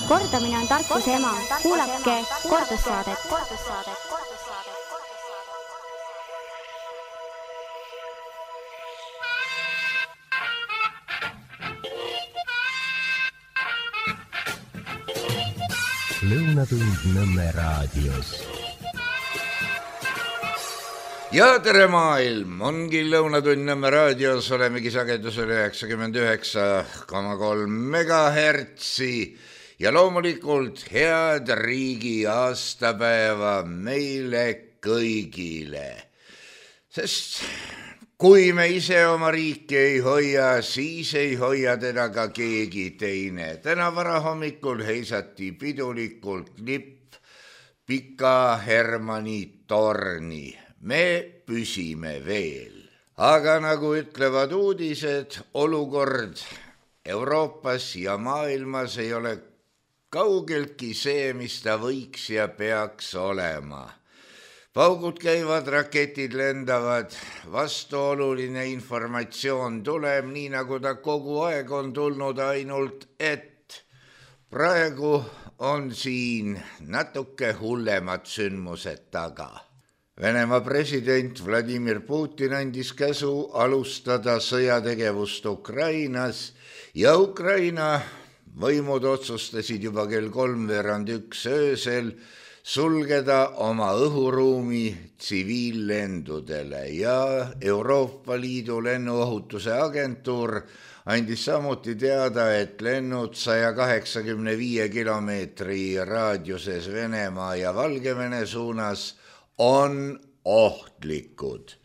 Kordamine on tarkuse ema. Kuulake kordussaadet. Lõunatund Nõmme raadios. Ja tere maailm, ongi Lõunatund Nõmme raadios, olemegi sagedusel 99,3 megahertsi ja loomulikult head riigi aastapäeva meile kõigile. Sest kui me ise oma riiki ei hoia, siis ei hoia teda ka keegi teine. Täna varahommikul heisati pidulikult lipp Pika Hermanni torni. Me püsime veel. Aga nagu ütlevad uudised, olukord Euroopas ja maailmas ei ole kaugeltki see, mis ta võiks ja peaks olema. Paugud käivad, raketid lendavad, vastuoluline informatsioon tuleb, nii nagu ta kogu aeg on tulnud, ainult et praegu on siin natuke hullemad sündmused taga. Venemaa president Vladimir Putin andis käsu alustada sõjategevust Ukrainas ja Ukraina võimud otsustasid juba kell 3:01 öösel sulgeda oma õhuruumi tsiviillendudele ja Euroopa Liidu lennuohutuse agentuur andis samuti teada, et lennud 185 kilomeetri raadiuses Venemaa ja Valgevene suunas on ohtlikud.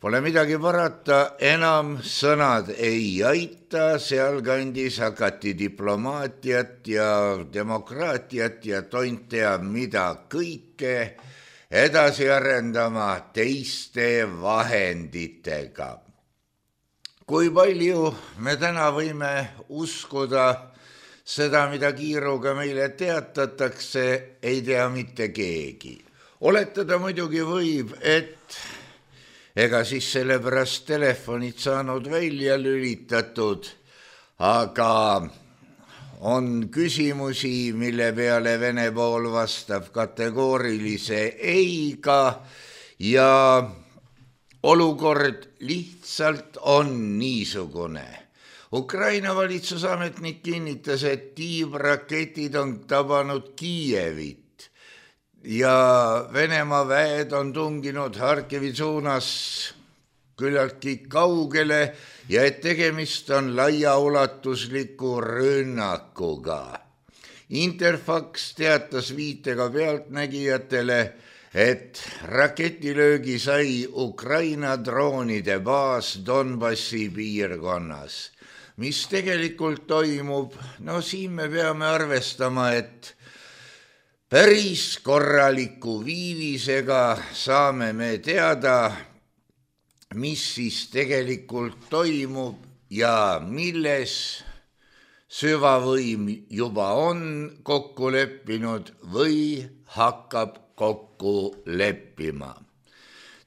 Pole midagi parata, enam sõnad ei aita, sealkandis hakati diplomaatiat ja demokraatiat ja tont teab mida kõike edasi arendama teiste vahenditega. Kui palju me täna võime uskuda seda, mida kiiruga meile teatatakse, ei tea mitte keegi. Oletada muidugi võib, et ega siis sellepärast telefonid saanud välja lülitatud, aga on küsimusi, mille peale Vene pool vastab kategoorilise eiga ja olukord lihtsalt on niisugune. Ukraina valitsusametnik kinnitas, et tiivraketid on tabanud Kiievit ja Venemaa väed on tunginud Harkivi suunas küllaltki kaugele ja et tegemist on laiaulatusliku rünnakuga. Interfax teatas viitega pealtnägijatele, et raketilöögi sai Ukraina droonide baas Donbassi piirkonnas. Mis tegelikult toimub? No siin me peame arvestama, et päris korraliku viivisega saame me teada, mis siis tegelikult toimub ja milles süvavõim juba on kokku leppinud või hakkab kokku leppima.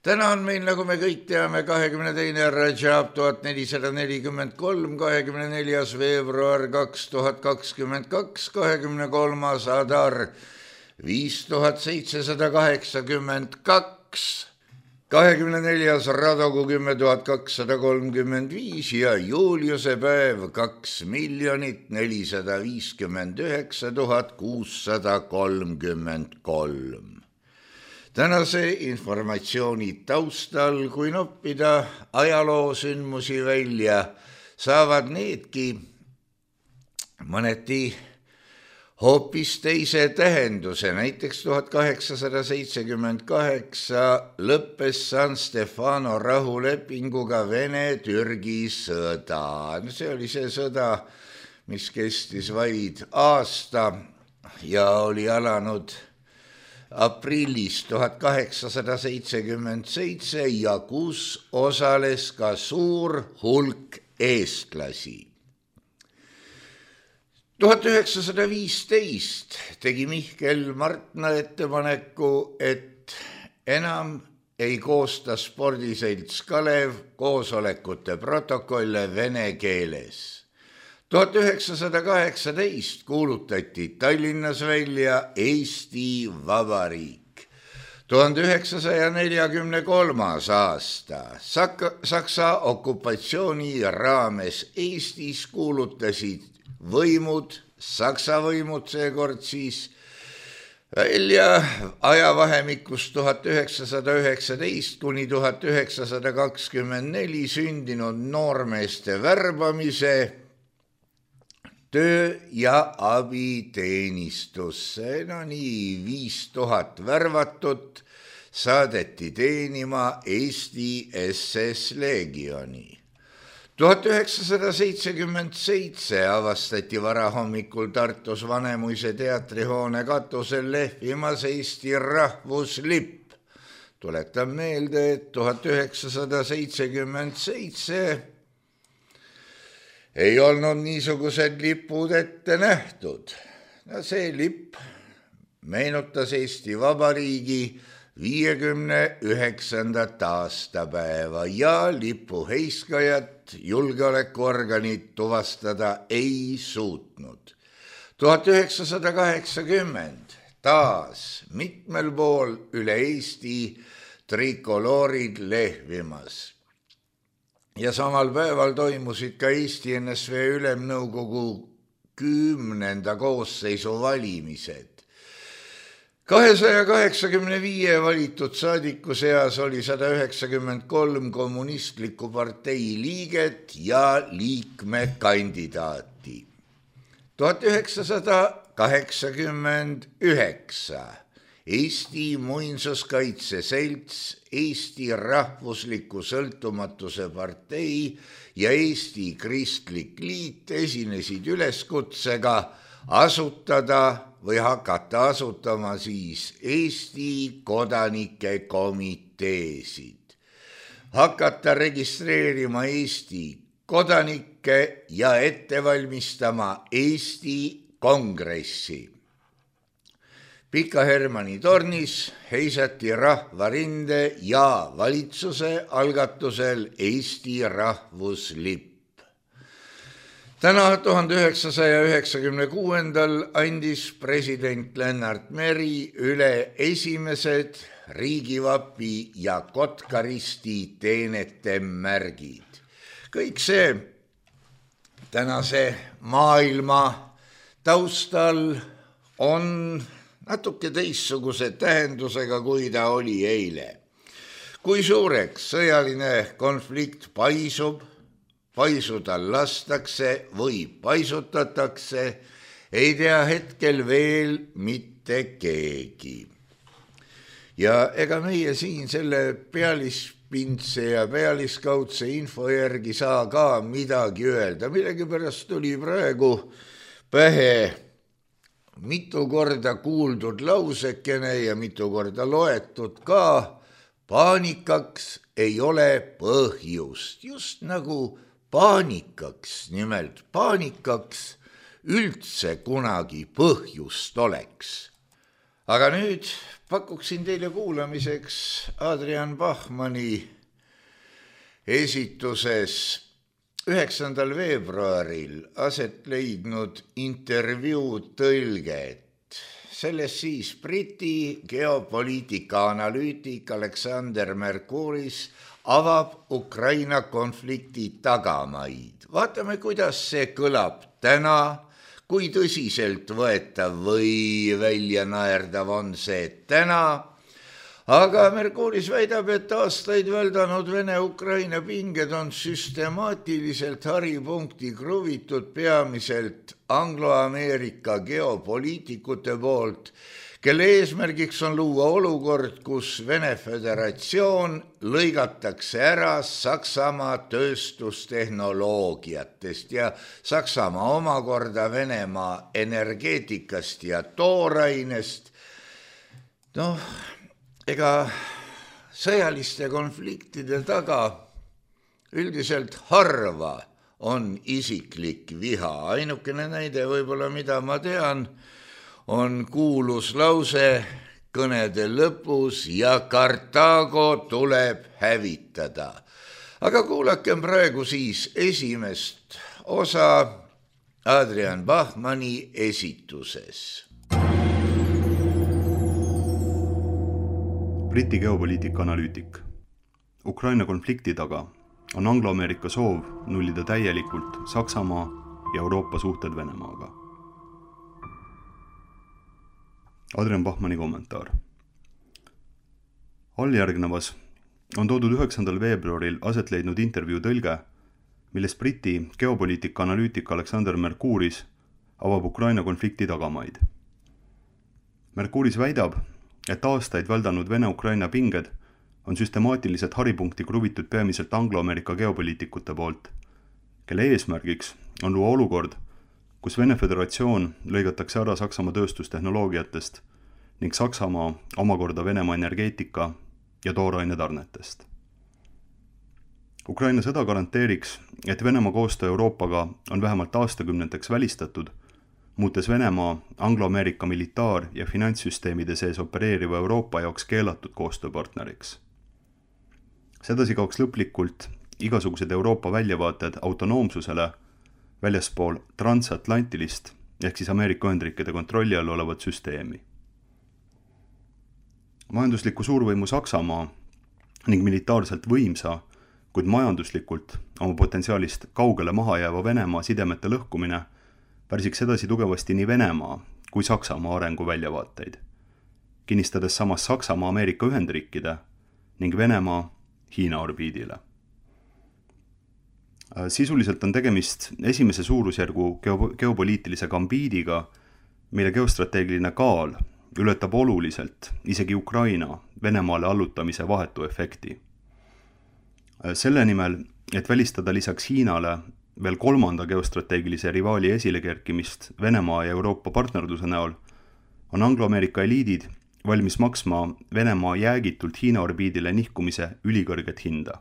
Täna on meil, nagu me kõik teame, 22. Rajab 1443, 24. veebruar 2022, 23. Adar 5782, 24. Radogu 10235 ja Juliuse päev 2 459 633. Tänase informatsiooni taustal, kui noppida ajaloosündmusi välja, saavad needki mõneti hoopis teise tähenduse. Näiteks 1878 lõppes San Stefano rahulepinguga Vene-Türgi sõda. See oli see sõda, mis kestis vaid aasta ja oli alanud aprillis 1877 ja kus osales ka suur hulk eestlasi. 1915 tegi Mihkel Martna ettepaneku, et enam ei koosta spordiselts Kalev koosolekute protokolle vene keeles. 1918 kuulutati Tallinnas välja Eesti Vabariik. 1943. aasta Saksa okupatsiooni raames Eestis kuulutasid võimud, Saksa võimud seekord siis, välja ajavahemikus 1919 kuni 1924 sündinud noormeeste värbamise töö- ja abiteenistusse. No nii 5000 värvatut saadeti teenima Eesti SS Legioni. 1977 avastati varahommikul Tartus Vanemuise teatrihoone katusel lehvimas Eesti rahvuslipp. Tuletan meelde, et 1977 ei olnud niisugused lipud ette nähtud. No see lipp meenutas Eesti Vabariigi 59. aastapäeva ja lipu heiskajat julgeolekuorganid tuvastada ei suutnud. 1980 taas mitmel pool üle Eesti trikoloorid lehvimas. Ja samal päeval toimusid ka Eesti NSV Ülemnõukogu 10. koosseisu valimised. 285 valitud saadiku seas oli 193 kommunistliku partei liiget ja liikmekandidaati. 1989 Eesti Muinsuskaitse Selts, Eesti Rahvusliku Sõltumatuse partei ja Eesti Kristlik Liit esinesid üleskutsega asutada või hakata asutama siis Eesti kodanike komiteesid. Hakata registreerima Eesti kodanikke ja ette valmistama Eesti kongressi. Pika Hermanni tornis heisati rahvarinde ja valitsuse algatusel Eesti rahvuslipp. Täna 1996. andis president Lennart Meri üle esimesed riigivapi ja Kotkaristi teenete märgid. Kõik see tänase maailma taustal on natuke teistsuguse tähendusega, kui ta oli eile. Kui suureks sõjaline konflikt paisuda lastakse või paisutatakse, ei tea hetkel veel mitte keegi. Ja ega meie siin selle pealispindse ja pealiskaudse info järgi saa ka midagi öelda. Millegipärast tuli praegu pähe mitu korda kuuldud lausekene ja mitu korda loetud ka, paanikaks ei ole põhjust, just nagu paanikaks, nimelt paanikaks üldse kunagi põhjust oleks. Aga nüüd pakuksin teile kuulamiseks Adrian Bachmanni esituses 9. veebruaril aset leidnud intervjuu tõlget. Selles siis Briti geopoliitika analüütik Alexander Mercouris avab Ukraina konflikti tagamaid. Vaatame, kuidas see kõlab täna, kui tõsiselt võetav või välja naerdav on see täna. Aga Mercouris väidab, et aastaid väldanud Vene-Ukraina pinged on süstemaatiliselt haripunkti kruvitud peamiselt anglo-Ameerika geopoliitikute poolt, kelle eesmärgiks on luua olukord, kus Vene Föderatsioon lõigatakse ära Saksamaa tööstustehnoloogiatest ja Saksamaa omakorda Venemaa energeetikast ja toorainest. Ega sõjaliste konfliktide taga üldiselt harva on isiklik viha. Ainukene näide võib-olla, mida ma tean, on kuulus lause kõnede lõpus ja Kartaago tuleb hävitada. Aga kuulakem praegu siis esimest osa Adrian Bachmanni esituses. Briti geopoliitika analüütik. Ukraina konflikti taga on Anglo-Ameerika soov nullida täielikult Saksamaa ja Euroopa suhted Venemaaga. Adrian Bachmanni kommentaar. Alljärgnevas on toodud 9. veebruaril aset leidnud intervjuu tõlge, milles Briti geopoliitika analüütik Alexander Mercouris avab Ukraina konflikti tagamaid. Mercouris väidab, et aastaid väldanud Vene-Ukraina pinged on süstemaatiliselt haripunkti kruvitud peamiselt Anglo-Ameerika geopoliitikute poolt, kelle eesmärgiks on luua olukord, kus Vene Föderatsioon lõigatakse ära Saksamaa tööstustehnoloogiatest ning Saksamaa omakorda Venemaa energeetika ja tooraine tarnetest. Ukraina sõda garanteeriks, et Venemaa koostöö Euroopaga on vähemalt aastakümneteks välistatud, muutes Venemaa Anglo-Ameerika militaar- ja finantssüsteemide sees opereeriva Euroopa jaoks keelatud koostööpartneriks. Sedasi kaoks lõplikult igasugused Euroopa väljavaated autonoomsusele väljaspool transatlantilist ehk siis Ameerika Ühendriikide kontrolli all olevat süsteemi. Majandusliku suurvõimu Saksamaa ning militaarselt võimsa, kuid majanduslikult oma potentsiaalist kaugele maha jääva Venemaa sidemete lõhkumine pärsiks edasi tugevasti nii Venemaa kui Saksamaa arengu väljavaateid, kinnistades samas Saksamaa Ameerika Ühendriikide ning Venemaa Hiina orbiidile. Sisuliselt on tegemist esimese suurusjärgu geopoliitilise gambiidiga, mille geostrateegiline kaal ületab oluliselt isegi Ukraina Venemaale allutamise vahetu efekti. Selle nimel, et välistada lisaks Hiinale veel kolmanda geostrateegilise rivaali esilekerkimist Venemaa ja Euroopa partnerluse näol, on Anglo-Ameerika eliidid valmis maksma Venemaa jäägitult Hiina orbiidile nihkumise ülikõrget hinda.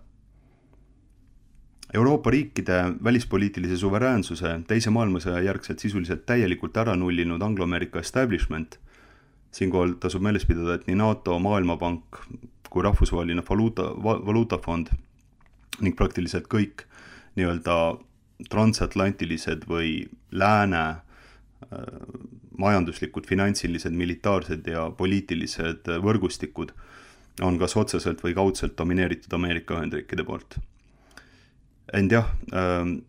Euroopa riikide välispoliitilise suveräänsuse teise maailmasõja järgselt sisuliselt täielikult ära nullinud Anglo-Ameerika establishment, siinkohal tasub meeles pidada, et nii NATO, Maailmapank kui rahvusvaheline valuutafond ning praktiliselt kõik nii-öelda transatlantilised või lääne majanduslikud, finantsilised, militaarsed ja poliitilised võrgustikud on kas otseselt või kaudselt domineeritud Ameerika Ühendriikide poolt. Ent jah,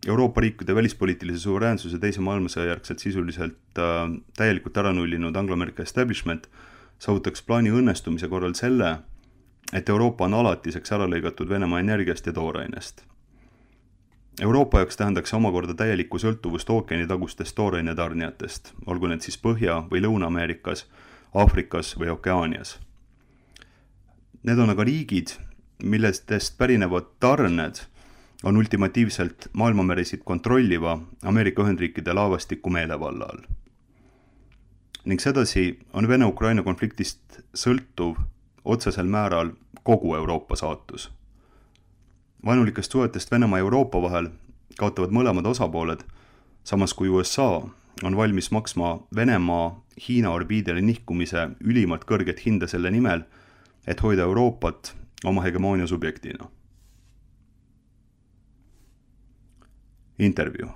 Euroopa riikide välispoliitilise suveräänsuse teise maailmasõja järgselt sisuliselt täielikult ära nullinud Anglo-Ameerika establishment saavutaks plaani õnnestumise korral selle, et Euroopa on alatiseks ära lõigatud Venemaa energiast ja toorainest. Euroopa jaoks tähendaks omakorda täielikku sõltuvust ookeanitagustest tooraine tarnijatest, olgu need siis Põhja- või Lõuna-Ameerikas, Aafrikas või Okeaanias. Need on aga riigid, millestest pärinevad tarned on ultimatiivselt maailmameresid kontrolliva Ameerika Ühendriikide laevastiku meelevalla all. Ning sedasi on Vene-Ukraina konfliktist sõltuv otsesel määral kogu Euroopa saatus. Vaenulikest suhetest Venemaa ja Euroopa vahel kaotavad mõlemad osapooled, samas kui USA on valmis maksma Venemaa Hiina orbiidile nihkumise ülimalt kõrget hinda selle nimel, et hoida Euroopat oma hegemoonia subjektina. Intervjuu.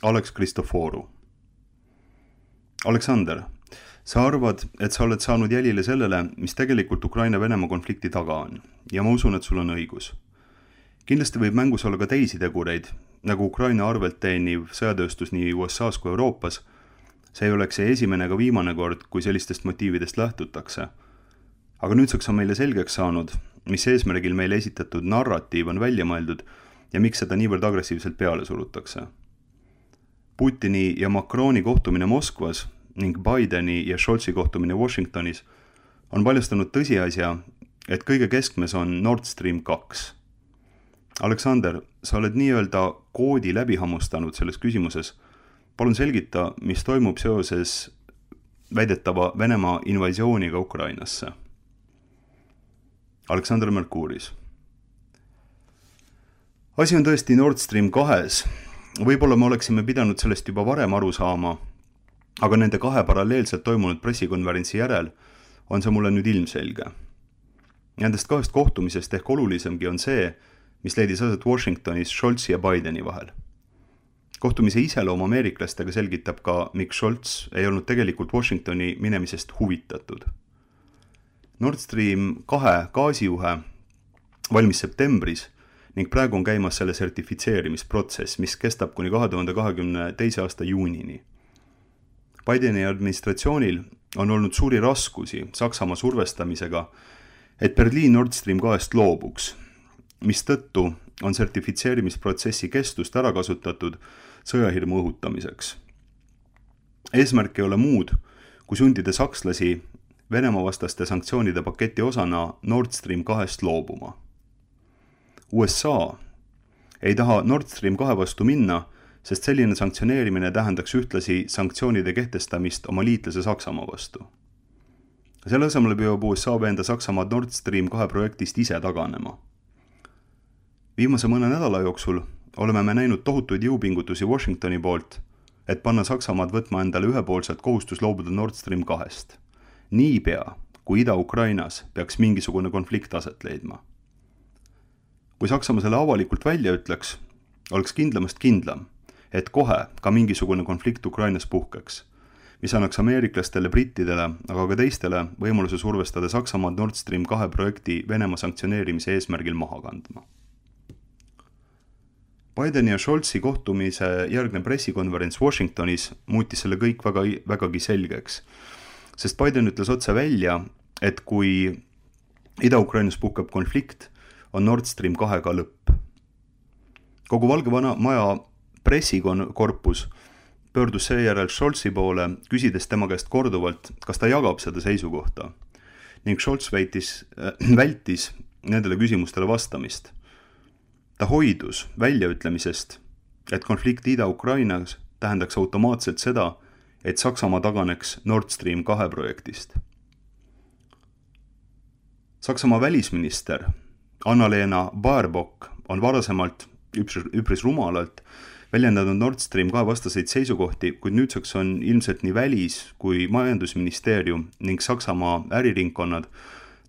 Alex Kristoforu. Aleksander, sa arvad, et sa oled saanud jälile sellele, mis tegelikult Ukraina-Venemaa konflikti taga on, ja ma usun, et sul on õigus. Kindlasti võib mängus olla ka teisi tegureid, nagu Ukraina arvelt teeniv sõjatööstus nii USAs kui Euroopas. See ei oleks see esimene ega viimane kord, kui sellistest motiividest lähtutakse. Aga nüüdseks on meile selgeks saanud, mis eesmärgil meile esitatud narratiiv on välja mõeldud ja miks seda niivõrd agressiivselt peale surutakse. Putini ja Macroni kohtumine Moskvas ning Bideni ja Scholzi kohtumine Washingtonis on paljastanud tõsiasja, et kõige keskmes on Nord Stream 2. Aleksander, sa oled nii-öelda koodi läbi hammustanud selles küsimuses. Palun selgita, mis toimub seoses väidetava Venemaa invasiooniga Ukrainasse. Alexander Mercouris. Asi on tõesti Nord Stream 2. Võib-olla me oleksime pidanud sellest juba varem aru saama, aga nende kahe paralleelselt toimunud pressikonverentsi järel on see mulle nüüd ilmselge. Nendest kahest kohtumisest ehk olulisemgi on see, mis leidis aset Washingtonis Scholzi ja Bideni vahel. Kohtumise iseloom ameeriklastega selgitab ka, miks Scholz ei olnud tegelikult Washingtoni minemisest huvitatud. Nord Stream 2 gaasijuhe valmis septembris ning praegu on käimas selle sertifitseerimisprotsess, mis kestab kuni 2022. aasta juunini. Bideni administratsioonil on olnud suuri raskusi Saksamaa survestamisega, et Berliin Nord Stream 2 loobuks, mistõttu on sertifitseerimisprotsessi kestust ära kasutatud sõjahirmu õhutamiseks. Eesmärk ei ole muud, kui sundida sakslasi Venemaa vastaste sanktsioonide paketi osana Nord Stream 2 loobuma. USA ei taha Nord Stream 2 vastu minna, sest selline sanktsioneerimine tähendaks ühtlasi sanktsioonide kehtestamist oma liitlase Saksamaa vastu. Selle asemel püüab USA veenda Saksamaad Nord Stream 2 projektist ise taganema. Viimase mõne nädala jooksul oleme me näinud tohutuid jõupingutusi Washingtoni poolt, et panna Saksamaad võtma endale ühepoolselt kohustus loobuda Nord Stream 2. Niipea, kui Ida-Ukrainas peaks mingisugune konflikt aset leidma. Kui Saksamaa selle avalikult välja ütleks, oleks kindlamast kindlam, et kohe ka mingisugune konflikt Ukrainas puhkeks, mis annaks ameeriklastele, brittidele, aga ka teistele võimaluse survestada Saksamaad Nord Stream 2 projekti Venemaa sanktsioneerimise eesmärgil maha kandma. Bideni ja Scholzi kohtumise järgne pressikonverents Washingtonis muutis selle kõik vägagi selgeks, sest Biden ütles otse välja, et kui Ida-Ukrainas puhkab konflikt, on Nord Stream 2 lõpp. Kogu Valge Maja pressikorpus pöördus seejärel Scholzi poole, küsides tema käest korduvalt, kas ta jagab seda seisukohta, ning Scholz vältis nendele küsimustele vastamist. Ta hoidus väljaütlemisest, et konflikt Ida-Ukrainas tähendaks automaatselt seda, et Saksamaa taganeks Nord Stream 2 projektist. Saksamaa välisminister Anna-Lena Baerbock on varasemalt üpris rumalalt väljendanud Nord Stream 2 vastaseid seisukohti, kuid nüüdseks on ilmselt nii välis- kui majandusministeerium ning Saksamaa äriringkonnad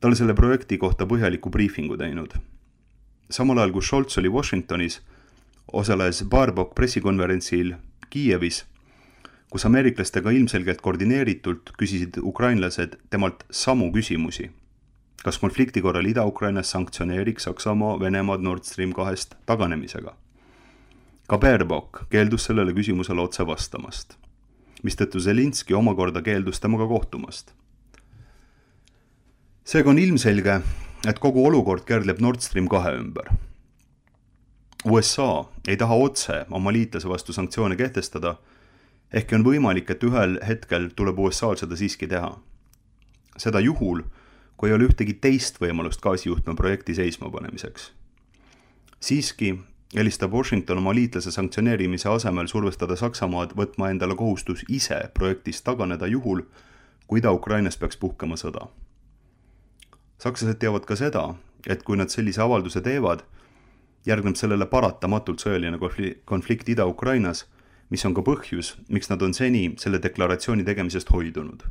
talle selle projekti kohta põhjaliku briifingu teinud. Samal ajal, kui Scholz oli Washingtonis, osales Baerbock pressikonverentsil Kiievis, kus ameeriklastega ilmselgelt koordineeritult küsisid ukrainlased temalt samu küsimusi. Kas konflikti korral Ida-Ukrainas sanktsioneeriks Saksamaa Venemaad Nord Stream 2 taganemisega? Ka Baerbock keeldus sellele küsimusele otse vastamast, mistõttu Zelinski omakorda keeldus temaga kohtumast. Seega on ilmselge, et kogu olukord kärdleb Nord Stream 2 ümber. USA ei taha otse oma liitlase vastu sanktsioone kehtestada, ehkki on võimalik, et ühel hetkel tuleb USA-l seda siiski teha. Seda juhul, kui ei ole ühtegi teist võimalust gaasijuhtme projekti seisma panemiseks. Siiski helistab Washington oma liitlase sanktsioneerimise asemel survestada Saksamaad võtma endale kohustus ise projektist taganeda juhul, kui Ida-Ukrainas peaks puhkema sõda. Sakslased teavad ka seda, et kui nad sellise avalduse teevad, järgneb sellele paratamatult sõjaline konflikt Ida-Ukrainas, mis on ka põhjus, miks nad on seni selle deklaratsiooni tegemisest hoidunud.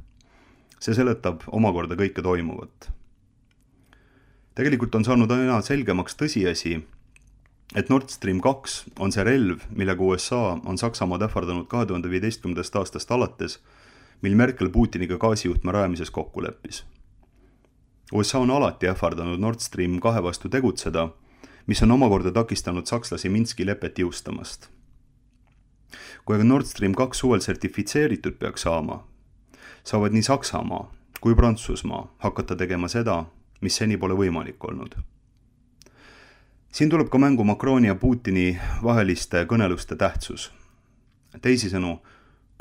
See seletab omakorda kõike toimuvat. Tegelikult on saanud aina selgemaks tõsiasi, et Nord Stream 2 on see relv, millega USA on Saksamaad ähvardanud 2015. aastast alates, mil Merkel Putiniga gaasijuhtme rajamises kokku leppis. USA on alati ähvardanud Nord Stream 2 vastu tegutseda, mis on omakorda takistanud sakslasi Minski lepet jõustamast. Kui aga Nord Stream 2 suvel sertifitseeritud peaks saama, saavad nii Saksamaa kui Prantsusmaa hakata tegema seda, mis seni pole võimalik olnud. Siin tuleb ka mängu Macroni ja Putini vaheliste kõneluste tähtsus. Teisisõnu,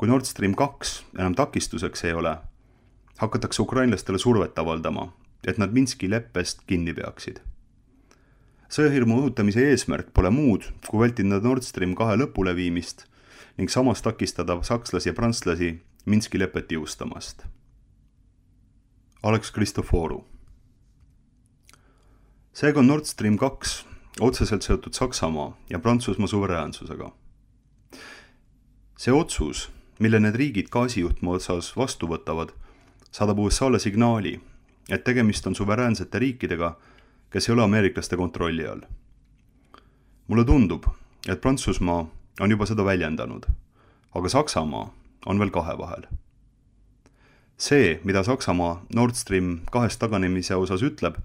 kui Nord Stream 2 enam takistuseks ei ole, hakatakse ukrainlastele survet avaldama, et nad Minski leppest kinni peaksid. Sõjahirmu õhutamise eesmärk pole muud, kui vältida Nord Stream 2 lõpuleviimist ning samas takistada sakslasi ja prantslasi Minski lepet jõustamast. Alex Kristoforu. Seega on Nord Stream 2 otseselt seotud Saksamaa ja Prantsusmaa suveräänsusega. See otsus, mille need riigid gaasijuhtme otsas vastu võtavad, saadab USA-le signaali, et tegemist on suveräänsete riikidega, kes ei ole ameeriklaste kontrolli all. Mulle tundub, et Prantsusmaa on juba seda väljendanud, aga Saksamaa on veel kahe vahel. See, mida Saksamaa Nord Stream 2 taganemise osas ütleb,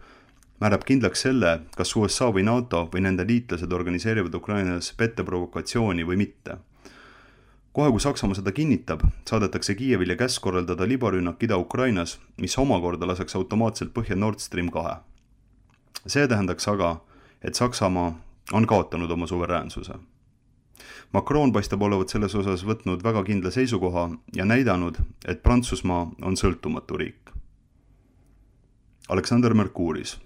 määrab kindlaks selle, kas USA või NATO või nende liitlased organiseerivad Ukrainas petteprovokatsiooni või mitte. Kohe kui Saksamaa seda kinnitab, saadetakse Kiievile käsk korraldada libarünnak Ida-Ukrainas, mis omakorda laseks automaatselt põhja Nord Stream 2. See tähendaks aga, et Saksamaa on kaotanud oma suveräänsuse. Macron paistab olevat selles osas võtnud väga kindla seisukoha ja näidanud, et Prantsusmaa on sõltumatu riik. Alexander Mercouris.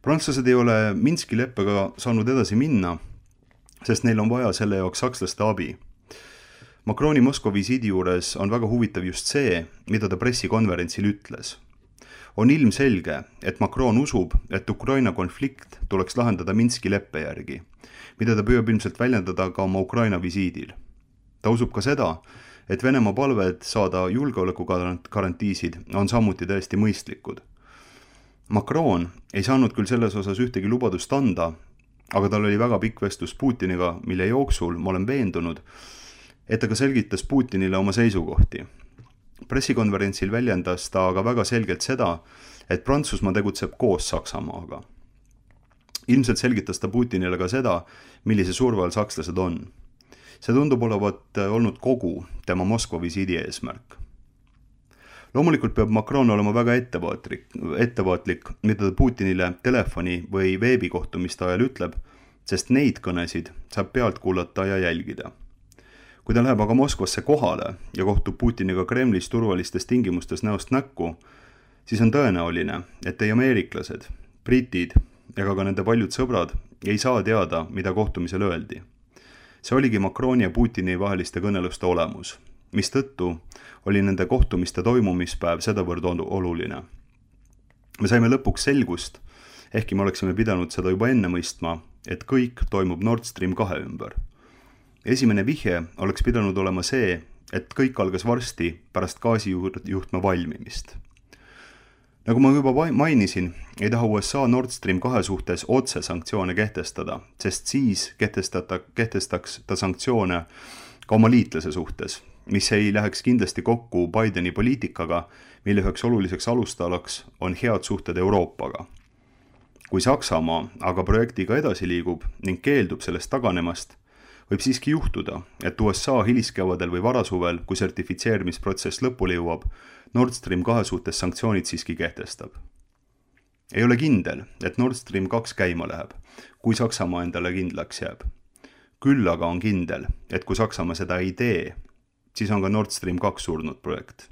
Prantslased ei ole Minski leppega saanud edasi minna, sest neil on vaja selle jaoks sakslaste abi. Macroni Moskva visiidi juures on väga huvitav just see, mida ta pressikonverentsil ütles. On ilmselge, et Macron usub, et Ukraina konflikt tuleks lahendada Minski leppe järgi, mida ta püüab ilmselt väljendada ka oma Ukraina visiidil. Ta usub ka seda, et Venemaa palved saada julgeolekugarantiisid on samuti täiesti mõistlikud. Macron ei saanud küll selles osas ühtegi lubadust anda, aga tal oli väga pikk vestlus Putiniga, mille jooksul ma olen veendunud, et ta ka selgitas Putinile oma seisukohti. Pressikonverentsil väljendas ta aga väga selgelt seda, et Prantsusmaa tegutseb koos Saksamaaga. Ilmselt selgitas ta Putinile ka seda, millise surve all sakslased on. See tundub olevat olnud kogu tema Moskva visiidi eesmärk. Loomulikult peab Macron olema väga ettevaatlik, mida ta Putinile telefoni või veebikohtumiste ajal ütleb, sest neid kõnesid saab pealt kuulata ja jälgida. Kui ta läheb aga Moskvasse kohale ja kohtub Putiniga Kremlis turvalistes tingimustes näost näkku, siis on tõenäoline, et ei ameeriklased, britid ega ka nende paljud sõbrad ei saa teada, mida kohtumisel öeldi. See oligi Macroni ja Putini vaheliste kõneluste olemus, mistõttu oli nende kohtumiste toimumispäev sedavõrd oluline. Me saime lõpuks selgust, ehkki me oleksime pidanud seda juba enne mõistma, et kõik toimub Nord Stream 2 ümber. Esimene vihje oleks pidanud olema see, et kõik algas varsti pärast gaasijuhtme valmimist. Nagu ma juba mainisin, ei taha USA Nord Stream 2 suhtes otse sanktsioone kehtestada, sest siis kehtestaks ta sanktsioone ka oma liitlase suhtes, mis ei läheks kindlasti kokku Bideni poliitikaga, mille üheks oluliseks alustalaks on head suhted Euroopaga. Kui Saksamaa aga projektiga edasi liigub ning keeldub sellest taganemast, võib siiski juhtuda, et USA hiliskevadel või varasuvel, kui sertifitseerimisprotsess lõpule jõuab, Nord Stream 2 suhtes sanktsioonid siiski kehtestab. Ei ole kindel, et Nord Stream 2 käima läheb, kui Saksamaa endale kindlaks jääb. Küll aga on kindel, et kui Saksamaa seda ei tee, siis on ka Nord Stream 2 surnud projekt.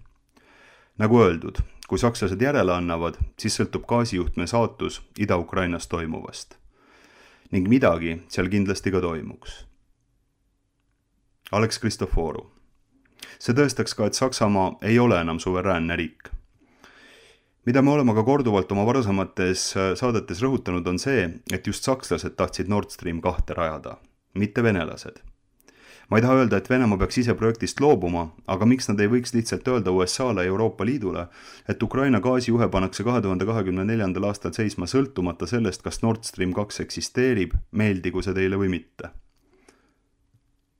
Nagu öeldud, kui sakslased järele annavad, siis sõltub gaasijuhtme saatus Ida-Ukrainas toimuvast. Ning midagi seal kindlasti ka toimuks. Alex Kristoforu. See tõestaks ka, et Saksamaa ei ole enam suveräänne riik. Mida me oleme ka korduvalt oma varasemates saadetes rõhutanud on see, et just sakslased tahtsid Nord Stream 2 rajada, mitte venelased. Ma ei taha öelda, et Venemaa peaks ise projektist loobuma, aga miks nad ei võiks lihtsalt öelda USA-le ja Euroopa Liidule, et Ukraina gaasijuhe pannakse 2024. aastal seisma sõltumata sellest, kas Nord Stream 2 eksisteerib, meeldigu see teile või mitte.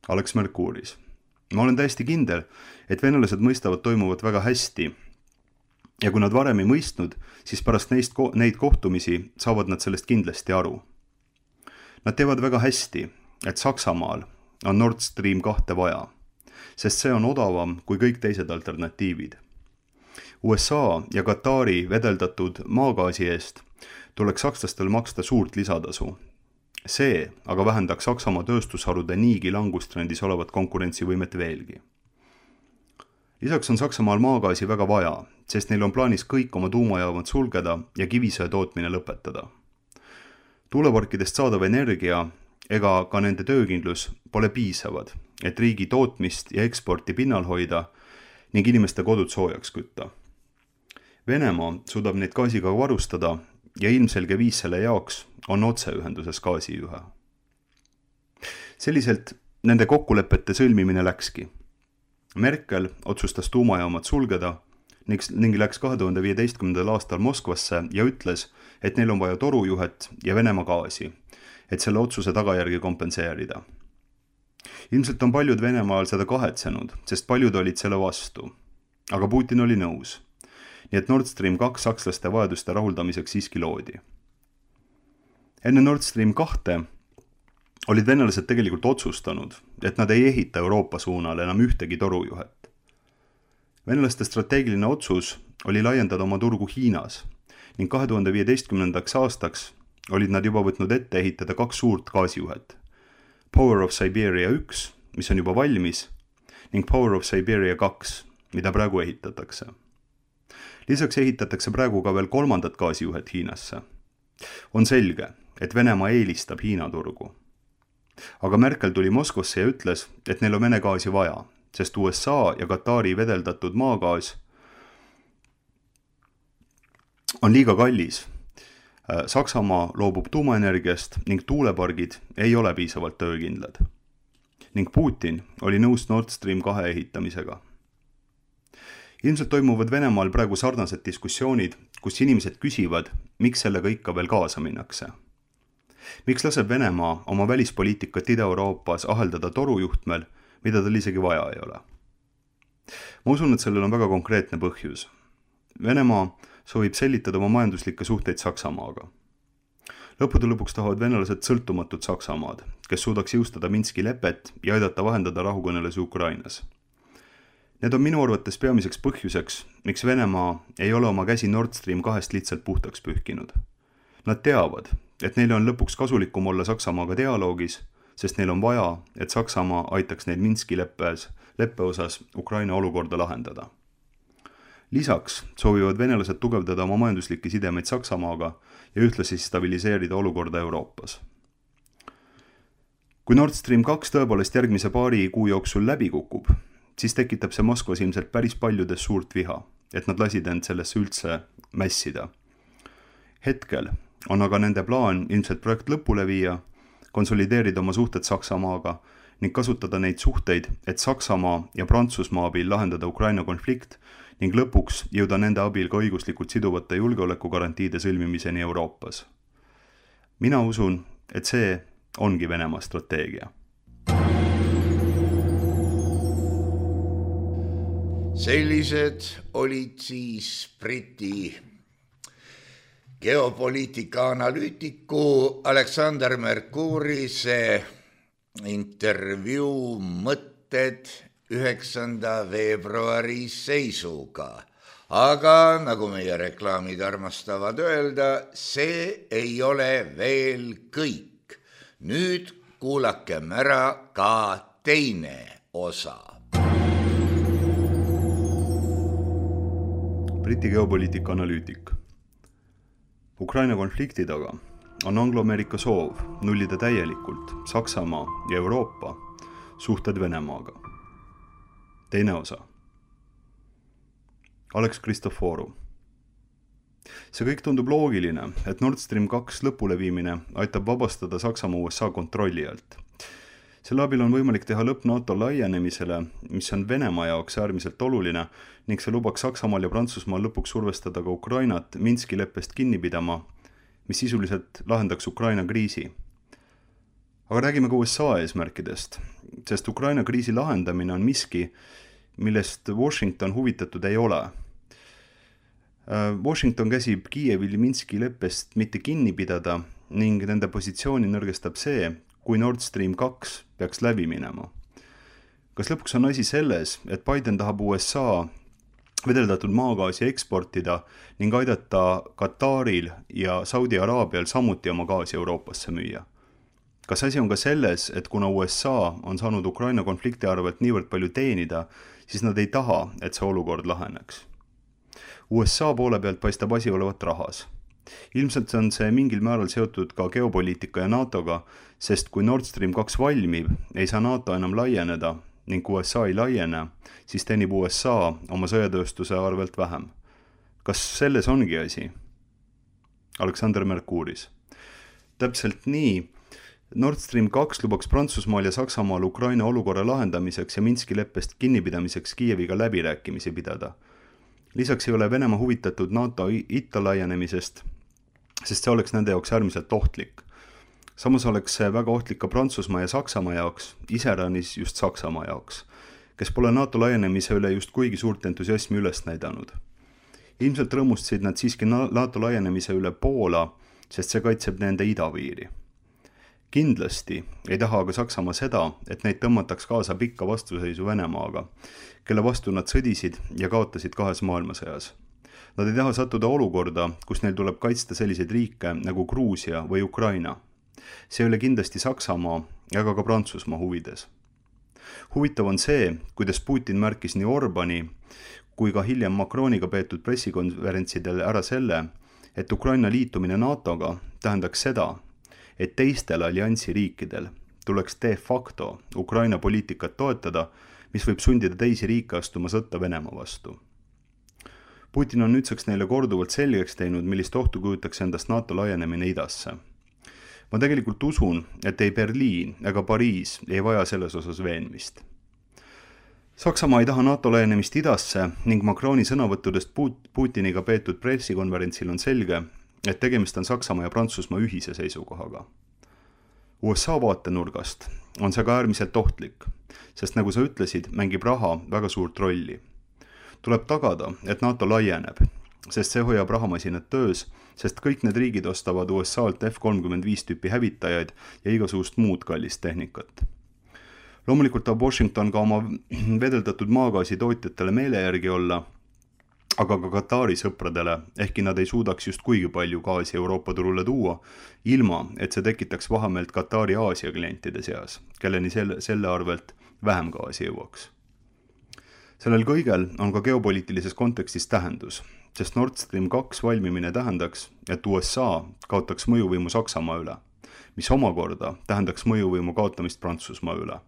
Alex Mercouris. Ma olen täiesti kindel, et venelased mõistavad toimuvat väga hästi ja kui nad varem ei mõistnud, siis pärast neid kohtumisi saavad nad sellest kindlasti aru. Nad teevad väga hästi, et Saksamaal on Nord Stream 2 vaja, sest see on odavam kui kõik teised alternatiivid. USA ja Katari vedeldatud maagaasi eest tuleks sakslastel maksta suurt lisatasu. See aga vähendaks Saksamaa tööstusharude niigi langustrendis olevat konkurentsivõimet veelgi. Lisaks on Saksamaal maagaasi väga vaja, sest neil on plaanis kõik oma tuumajaamad sulgeda ja kivisöe tootmine lõpetada. Tuuleparkidest saadav energia ega ka nende töökindlus pole piisavad, et riigi tootmist ja eksporti pinnal hoida ning inimeste kodud soojaks kütta. Venemaa suudab neid gaasiga varustada ja ilmselge viis selle jaoks on otseühenduses gaasijuhe. Selliselt nende kokkulepete sõlmimine läkski. Merkel otsustas tuumajaamad sulgeda ning läks 2015. aastal Moskvasse ja ütles, et neil on vaja torujuhet ja Venemaa gaasi, et selle otsuse tagajärgi kompenseerida. Ilmselt on paljud Venemaal seda kahetsenud, sest paljud olid selle vastu. Aga Putin oli nõus. Nii et Nord Stream 2 sakslaste vajaduste rahuldamiseks siiski loodi. Enne Nord Stream 2 olid venelased tegelikult otsustanud, et nad ei ehita Euroopa suunal enam ühtegi torujuhet. Venelaste strateegiline otsus oli laiendada oma turgu Hiinas ning 2015. aastaks olid nad juba võtnud ette ehitada 2 suurt gaasijuhet. Power of Siberia 1, mis on juba valmis, ning Power of Siberia 2, mida praegu ehitatakse. Lisaks ehitatakse praegu ka veel 3. gaasijuhet Hiinasse. On selge, et Venemaa eelistab Hiina turgu. Aga Merkel tuli Moskvasse ja ütles, et neil on Vene gaasi vaja, sest USA ja Katari vedeldatud maagaas on liiga kallis. Saksamaa loobub tuumaenergiast ning tuulepargid ei ole piisavalt töökindlad. Ning Putin oli nõus Nord Stream 2 ehitamisega. Ilmselt toimuvad Venemaal praegu sarnased diskussioonid, kus inimesed küsivad, miks sellega ikka veel kaasa minnakse. Miks laseb Venemaa oma välispoliitikat Ida-Euroopas aheldada torujuhtmel, mida tal isegi vaja ei ole? Ma usun, et sellel on väga konkreetne põhjus. Venemaa soovib sellitada oma majanduslikke suhteid Saksamaaga. Lõppude lõpuks tahavad venelased sõltumatut Saksamaad, kes suudaks jõustada Minski lepet ja aidata vahendada rahukõnelusi Ukrainas. Need on minu arvates peamiseks põhjuseks, miks Venemaa ei ole oma käsi Nord Stream 2 lihtsalt puhtaks pühkinud. Nad teavad, et neil on lõpuks kasulikum olla Saksamaaga dialoogis, sest neil on vaja, et Saksamaa aitaks neid Minski leppe osas Ukraina olukorda lahendada. Lisaks soovivad venelased tugevdada oma majanduslikke sidemeid Saksamaaga ja ühtlasi stabiliseerida olukorda Euroopas. Kui Nord Stream 2 tõepoolest järgmise paari kuu jooksul läbi kukub, siis tekitab see Moskvas ilmselt päris paljudes suurt viha, et nad lasid end sellesse üldse mässida. Hetkel on aga nende plaan ilmselt projekt lõpule viia, konsolideerida oma suhted Saksamaaga ning kasutada neid suhteid, et Saksamaa ja Prantsusmaa abil lahendada Ukraina konflikt ning lõpuks jõuda nende abil ka õiguslikult siduvate julgeolekugarantiide sõlmimiseni Euroopas. Mina usun, et see ongi Venemaa strateegia. Sellised olid siis Briti geopoliitika analüütiku Alexander Mercourise intervjuu mõtted 9. veebruari seisuga. Aga nagu meie reklaamid armastavad öelda, see ei ole veel kõik. Nüüd kuulakem ära ka teine osa. Briti geopoliitika analüütik. Ukraina konflikti taga on Anglo-Ameerika soov nullida täielikult Saksamaa ja Euroopa suhted Venemaaga. Teine osa. Alex Kristoforu. See kõik tundub loogiline, et Nord Stream 2 lõpule viimine aitab vabastada Saksamaa USA kontrolli alt. Selle abil on võimalik teha lõpp NATO laienemisele, mis on Venemaa jaoks äärmiselt oluline ning see lubaks Saksamaal ja Prantsusmaal lõpuks survestada ka Ukrainat Minski leppest kinni pidama, mis sisuliselt lahendaks Ukraina kriisi. Aga räägime ka USA eesmärkidest, sest Ukraina kriisi lahendamine on miski, millest Washington huvitatud ei ole. Washington käsib Kiievil Minski leppest mitte kinni pidada ning nende positsiooni nõrgestab see, kui Nord Stream 2 peaks läbi minema. Kas lõpuks on asi selles, et Biden tahab USA vedeldatud maagaasi eksportida ning aidata Kataril ja Saudi Araabial samuti oma gaasi Euroopasse müüa? Kas asi on ka selles, et kuna USA on saanud Ukraina konflikti arvelt niivõrd palju teenida, siis nad ei taha, et see olukord laheneks? USA poole pealt paistab asi olevat rahas. Ilmselt on see mingil määral seotud ka geopoliitika ja NATOga, sest kui Nord Stream 2 valmib, ei saa NATO enam laieneda ning USA ei laiene, siis teenib USA oma sõjatööstuse arvelt vähem. Kas selles ongi asi? Alexander Mercouris. Täpselt nii. Nord Stream 2 lubaks Prantsusmaal ja Saksamaal Ukraina olukorra lahendamiseks ja Minski leppest kinnipidamiseks Kiieviga läbirääkimisi pidada. Lisaks ei ole Venemaa huvitatud NATO itta laienemisest, sest see oleks nende jaoks äärmiselt ohtlik. samas oleks see väga ohtlik ka Prantsusmaa ja Saksamaa jaoks, iseäranis just Saksamaa jaoks, kes pole NATO laienemise üle just kuigi suurt entusiasmi üles näidanud. Ilmselt rõõmustasid nad siiski NATO laienemise üle Poola, sest see kaitseb nende idapiiri. Kindlasti ei taha aga Saksamaa seda, et neid tõmmataks kaasa pikka vastuseisu Venemaaga, kelle vastu nad sõdisid ja kaotasid 2. maailmasõjas. Nad ei taha sattuda olukorda, kus neil tuleb kaitsta selliseid riike nagu Gruusia või Ukraina. See ei ole kindlasti Saksamaa ega ka Prantsusmaa huvides. Huvitav on see, kuidas Putin märkis nii Orbani kui ka hiljem Macroniga peetud pressikonverentsidel ära selle, et Ukraina liitumine NATOga tähendaks seda, et teistel alliansi riikidel tuleks de facto Ukraina poliitikat toetada, mis võib sundida teisi riike astuma sõtta Venemaa vastu. Putin on nüüdseks neile korduvalt selgeks teinud, millist ohtu kujutaks endast NATO laienemine idasse. Ma tegelikult usun, et ei Berliin ega Pariis ei vaja selles osas veenmist. Saksamaa ei taha NATO laienemist idasse ning Macroni sõnavõttudest Putiniga peetud pressikonverentsil on selge, et tegemist on Saksamaa ja Prantsusmaa ühise seisukohaga. USA vaatenurgast on see ka äärmiselt ohtlik, sest nagu sa ütlesid, mängib raha väga suurt rolli. Tuleb tagada, et NATO laieneb, sest see hoiab rahamasinad töös, sest kõik need riigid ostavad USA-lt F-35 tüüpi hävitajaid ja igasugust muud kallist tehnikat. Loomulikult tahab Washington ka oma vedeldatud maagaasi tootjatele meele järgi olla, aga ka Katari sõpradele, ehkki nad ei suudaks just kuigi palju gaasi Euroopa turule tuua, ilma et see tekitaks vahemeelt Katari Aasia klientide seas, kelleni selle arvelt vähem gaasi jõuaks. Sellel kõigel on ka geopoliitilises kontekstis tähendus, sest Nord Stream 2 valmimine tähendaks, et USA kaotaks mõjuvõimu Saksamaa üle, mis omakorda tähendaks mõjuvõimu kaotamist Prantsusmaa üle,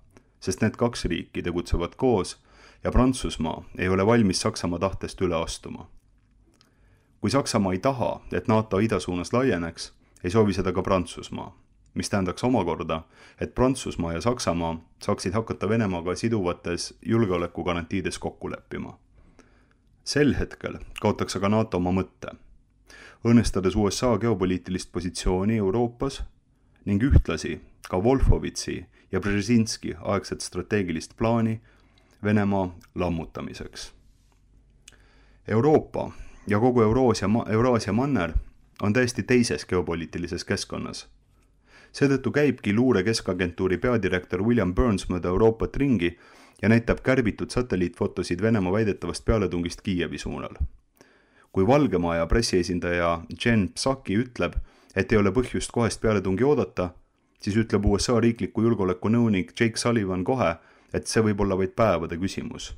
sest need 2 riiki tegutsevad koos ja Prantsusmaa ei ole valmis Saksamaa tahtest üle astuma. Kui Saksamaa ei taha, et NATO idasuunas laieneks, ei soovi seda ka Prantsusmaa, mis tähendaks omakorda, et Prantsusmaa ja Saksamaa saaksid hakata Venemaaga siduvates julgeolekugarantiides kokku leppima. Sel hetkel kaotaks aga NATO oma mõtte, õnnestades USA geopoliitilist positsiooni Euroopas ning ühtlasi ka Wolfowitzi ja Brzezinski aegset strateegilist plaani Venemaa lammutamiseks. Euroopa ja kogu Euraasia manner on täiesti teises geopoliitilises keskkonnas. Seetõttu käibki luure keskagentuuri peadirektor William Burns mööda Euroopat ringi ja näitab kärbitud satelliitfotosid Venemaa väidetavast pealetungist Kiievi suunal. Kui Valgemaja pressiesindaja Jen Psaki ütleb, et ei ole põhjust kohest pealetungi oodata, siis ütleb USA riikliku julgeoleku nõunik Jake Sullivan kohe, et see võib olla vaid päevade küsimus.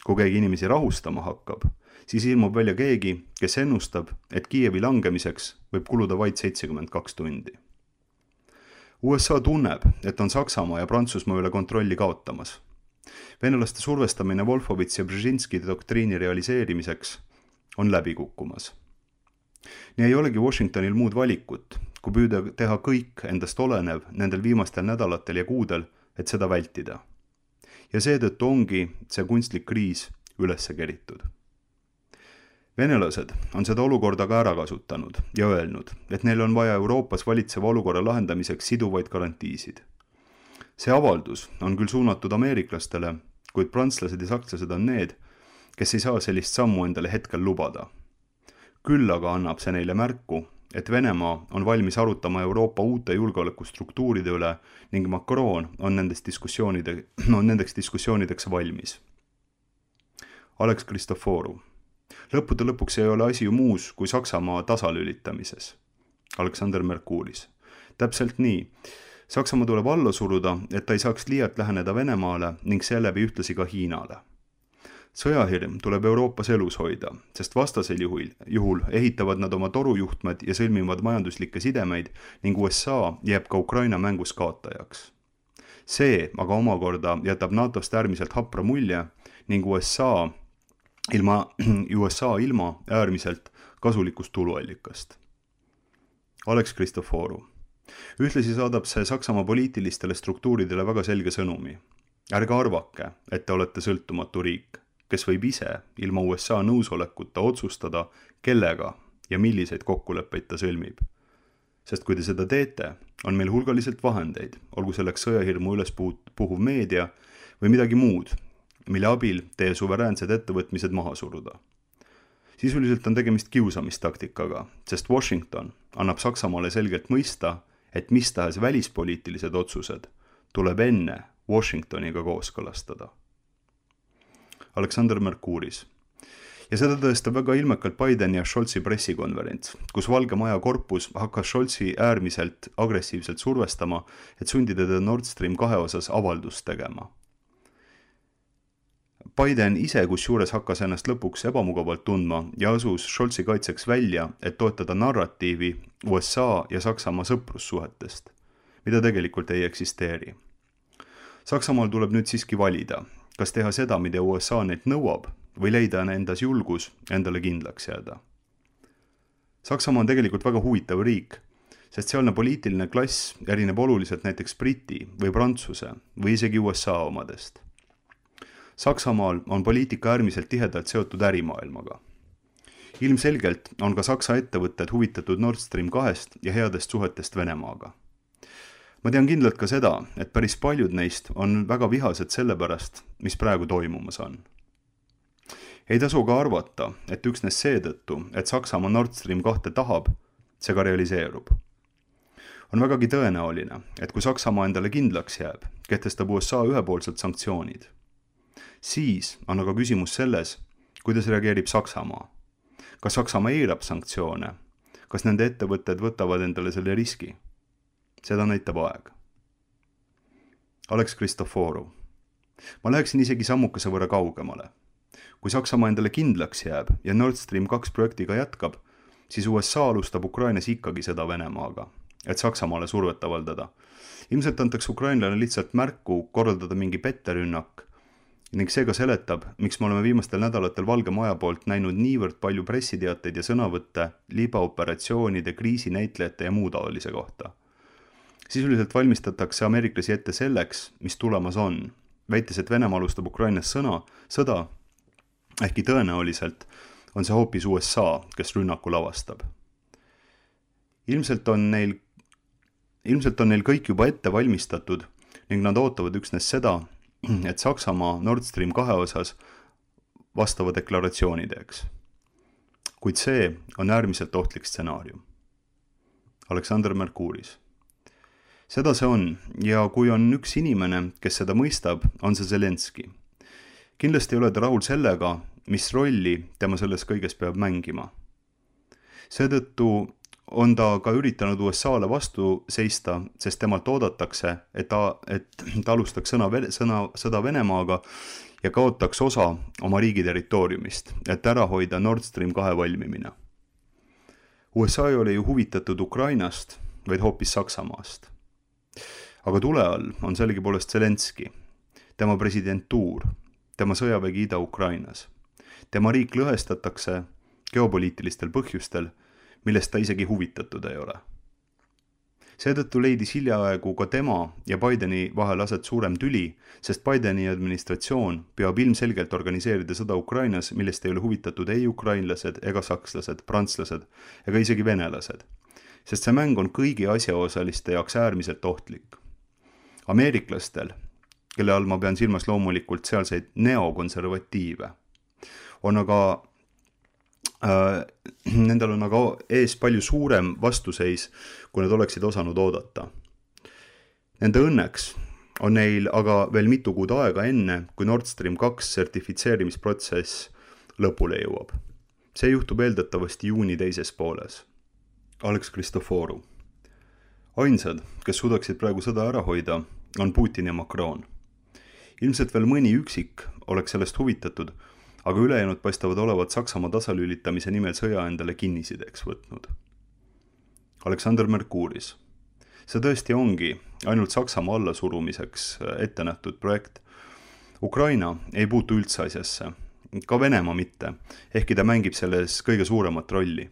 Kui keegi inimesi rahustama hakkab, siis ilmub välja keegi, kes ennustab, et Kiievi langemiseks võib kuluda vaid 72 tundi. USA tunneb, et on Saksamaa ja Prantsusmaa üle kontrolli kaotamas. Venelaste survestamine Wolfowitz ja Brzezinski doktriini realiseerimiseks on läbi kukkumas. Nii ei olegi Washingtonil muud valikut, kui püüda teha kõik endast olenev nendel viimastel nädalatel ja kuudel, et seda vältida. Ja seetõttu ongi see kunstlik kriis üles keritud. Venelased on seda olukorda ka ära kasutanud ja öelnud, et neil on vaja Euroopas valitseva olukorra lahendamiseks siduvaid garantiisid. See avaldus on küll suunatud ameeriklastele, kuid prantslased ja sakslased on need, kes ei saa sellist sammu endale hetkel lubada. Küll aga annab see neile märku, et Venemaa on valmis arutama Euroopa uute julgeolekustruktuuride üle ning Macron on nendeks diskussioonideks valmis. Alex Kristoforu. Lõppude lõpuks ei ole asi ju muus kui Saksamaa tasalülitamises. Aleksander Merkuuris. Täpselt nii. Saksamaa tuleb alla suruda, et ta ei saaks liialt läheneda Venemaale ning seeläbi ühtlasi ka Hiinale. Sõjahirm tuleb Euroopas elus hoida, sest vastasel juhul ehitavad nad oma torujuhtmed ja sõlmivad majanduslikke sidemeid ning USA jääb ka Ukraina mängus kaotajaks. See aga omakorda jätab NATOst äärmiselt hapra mulje ning USA ilma äärmiselt kasulikust tuluallikast. Alex Kristoforu. Ühtlasi saadab see Saksamaa poliitilistele struktuuridele väga selge sõnumi. Ärge arvake, et te olete sõltumatu riik, kes võib ise ilma USA nõusolekuta otsustada, kellega ja milliseid kokkuleppeid ta sõlmib. sest kui te seda teete, on meil hulgaliselt vahendeid, olgu selleks sõjahirmu üles puhuv meedia või midagi muud, mille abil teie suveräänsed ettevõtmised maha suruda. Sisuliselt on tegemist kiusamistaktikaga, sest Washington annab Saksamaale selgelt mõista, et mis tahes välispoliitilised otsused tuleb enne Washingtoniga kooskõlastada. Alexander Mercouris. Ja seda tõestab väga ilmekalt Bideni ja Scholzi pressikonverents, kus Valge Maja korpus hakkas Scholzi äärmiselt agressiivselt survestama, et sundida teda Nord Stream 2 osas avaldust tegema. Biden ise kusjuures hakkas ennast lõpuks ebamugavalt tundma ja asus Scholzi kaitseks välja, et toetada narratiivi USA ja Saksamaa sõprussuhetest, mida tegelikult ei eksisteeri. Saksamaal tuleb nüüd siiski valida, kas teha seda, mida USA neilt nõuab, või leida endas julgus endale kindlaks jääda. Saksamaa on tegelikult väga huvitav riik, sest sealne poliitiline klass erineb oluliselt näiteks Briti või Prantsuse või isegi USA omadest. Saksamaal on poliitika äärmiselt tihedalt seotud ärimaailmaga. Ilmselgelt on ka Saksa ettevõtted huvitatud Nord Stream 2 ja headest suhetest Venemaaga. Ma tean kindlalt ka seda, et päris paljud neist on väga vihased selle pärast, mis praegu toimumas on. Ei tasu ka arvata, et üksnes seetõttu, et Saksamaa Nord Stream 2 tahab, see ka realiseerub. On vägagi tõenäoline, et kui Saksamaa endale kindlaks jääb, kehtestab USA ühepoolselt sanktsioonid. Siis on aga küsimus selles, kuidas reageerib Saksamaa. Kas Saksamaa eirab sanktsioone? Kas nende ettevõtted võtavad endale selle riski? Seda näitab aeg. Alex Christoforu. Ma läheksin isegi sammukese võrra kaugemale. Kui Saksamaa endale kindlaks jääb ja Nord Stream 2 projektiga jätkab, siis USA alustab Ukrainas ikkagi seda Venemaaga, et Saksamaale survet avaldada. Ilmselt antakse Ukrainlane lihtsalt märku korraldada mingi petterünnak ning seega seletab, miks me oleme viimastel nädalatel Valge Maja poolt näinud niivõrd palju pressiteateid ja sõnavõtte libaoperatsioonide, kriisinäitlejate ja muu taolise kohta. Sisuliselt valmistatakse ameeriklasi ette selleks, mis tulemas on, väites, et Venemaa alustab Ukrainas sõda, ehkki tõenäoliselt on see hoopis USA, kes rünnaku lavastab. Ilmselt on neil kõik juba ette valmistatud ning nad ootavad üksnes seda, et Saksamaa Nord Stream 2 osas vastava deklaratsiooni teeks. Kuid see on äärmiselt ohtlik stsenaarium. Alexander Mercouris. Seda see on ja kui on üks inimene, kes seda mõistab, on see Zelenski. Kindlasti ei ole ta rahul sellega, mis rolli tema selles kõiges peab mängima. Seetõttu on ta ka üritanud USA-le vastu seista, sest temalt oodatakse, et ta alustaks sõda Venemaaga ja kaotaks osa oma riigi territooriumist, et ära hoida Nord Stream 2 valmimine. USA ei ole ju huvitatud Ukrainast, vaid hoopis Saksamaast. Aga tule all on sellegipoolest Zelenski, tema presidentuur, tema sõjavägi Ida-Ukrainas. Tema riik lõhestatakse geopoliitilistel põhjustel, millest ta isegi huvitatud ei ole. Seetõttu leidis hiljaaegu ka tema ja Bideni vahel aset suurem tüli, sest Bideni administratsioon peab ilmselgelt organiseerida sõda Ukrainas, millest ei ole huvitatud ei ukrainlased ega sakslased, prantslased ega isegi venelased, sest see mäng on kõigi asjaosaliste jaoks äärmiselt ohtlik. Ameeriklastel, kelle all ma pean silmas loomulikult sealseid neokonservatiive, nendel on aga ees palju suurem vastuseis, kui nad oleksid osanud oodata. Nende õnneks on neil aga veel mitu kuud aega enne, kui Nord Stream 2 sertifitseerimisprotsess lõpule jõuab. See juhtub eeldatavasti juuni teises pooles. Alex Christoforu. Ainsad, kes suudaksid praegu sõda ära hoida, on Putin ja Macron. Ilmselt veel mõni üksik oleks sellest huvitatud, aga ülejäänud paistavad olevat Saksamaa tasalülitamise nimel sõja endale kinnisideks võtnud. Alexander Mercouris. See tõesti ongi ainult Saksamaa allasurumiseks ette nähtud projekt. Ukraina ei puutu üldse asjasse, ka Venemaa mitte, ehkki ta mängib selles kõige suuremat rolli.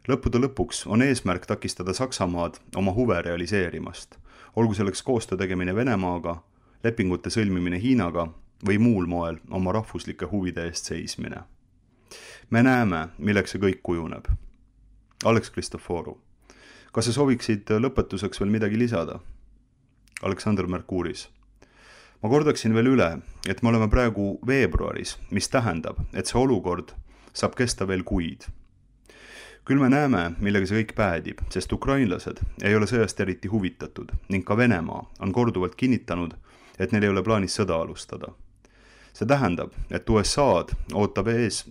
Lõppude lõpuks on eesmärk takistada Saksamaad oma huve realiseerimast, olgu selleks koostöö tegemine Venemaaga, lepingute sõlmimine Hiinaga või muul moel oma rahvuslike huvide eest seismine. Me näeme, milleks see kõik kujuneb. Alex Christoforu. Kas sa sooviksid lõpetuseks veel midagi lisada? Aleksander Merkuuris. Ma kordaksin veel üle, et me oleme praegu veebruaris, mis tähendab, et see olukord saab kesta veel kuid. Küll me näeme, millega see kõik päädib, sest ukrainlased ei ole sõjast eriti huvitatud ning ka Venemaa on korduvalt kinnitanud, et neil ei ole plaanis sõda alustada. See tähendab, et USA'd ootab ees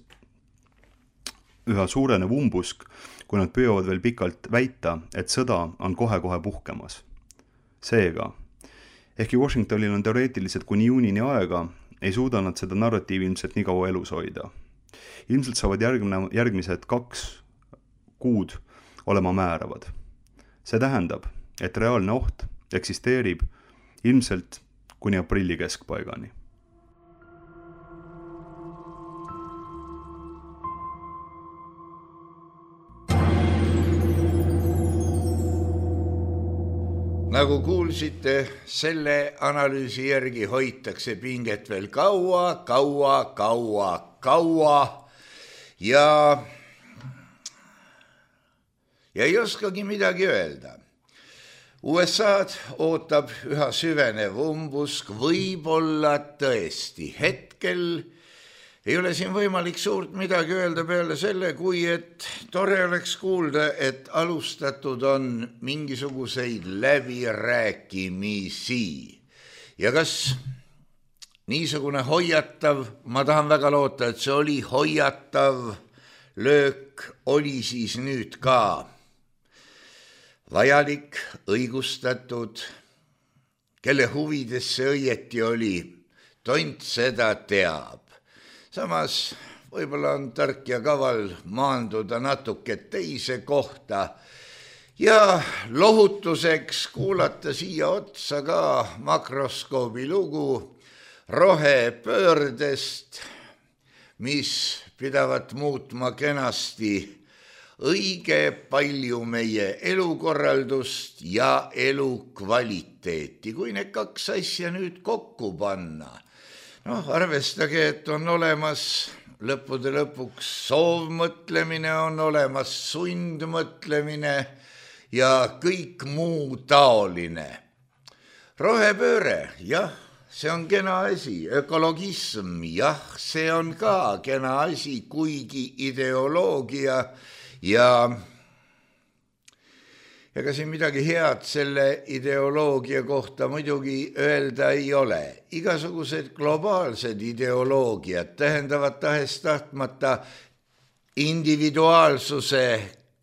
üha suurenev umbusk, kui nad püüavad veel pikalt väita, et sõda on kohe-kohe puhkemas. Seega, ehkki Washingtonil on teoreetiliselt kuni juunini aega, ei suuda nad seda narratiivi ilmselt nii kaua elus hoida. Ilmselt saavad järgmised 2 kuud olema määravad. See tähendab, et reaalne oht eksisteerib ilmselt kuni aprilli keskpaigani. Nagu kuulsite, selle analüüsi järgi hoitakse pinget veel kaua ja ei oskagi midagi öelda. USA'd ootab üha süvenev umbusk, võib-olla tõesti. Hetkel ei ole siin võimalik suurt midagi öelda peale selle, kui et tore oleks kuulda, et alustatud on mingisuguseid läbirääkimisi. Ja kas niisugune hoiatav, ma tahan väga loota, et see oli hoiatav löök, oli siis nüüd ka vajalik, õigustatud, kelle huvides see õieti oli, tont seda teab. Samas võib-olla on tark ja kaval maanduda natuke teise kohta ja lohutuseks kuulata siia otsa ka makroskoobi lugu rohepöördest, mis pidavat muutma kenasti õige palju meie elukorraldust ja elukvaliteeti. Kui need 2 asja nüüd kokku panna, arvestage, et on olemas lõppude lõpuks soovmõtlemine, on olemas sundmõtlemine ja kõik muu taoline. Rohepööre, jah, see on kena asi, ökologism, jah, see on ka kena asi, kuigi ideoloogia ja ega siin midagi head selle ideoloogia kohta muidugi öelda ei ole. Igasugused globaalsed ideoloogiad tähendavad tahes-tahtmata individuaalsuse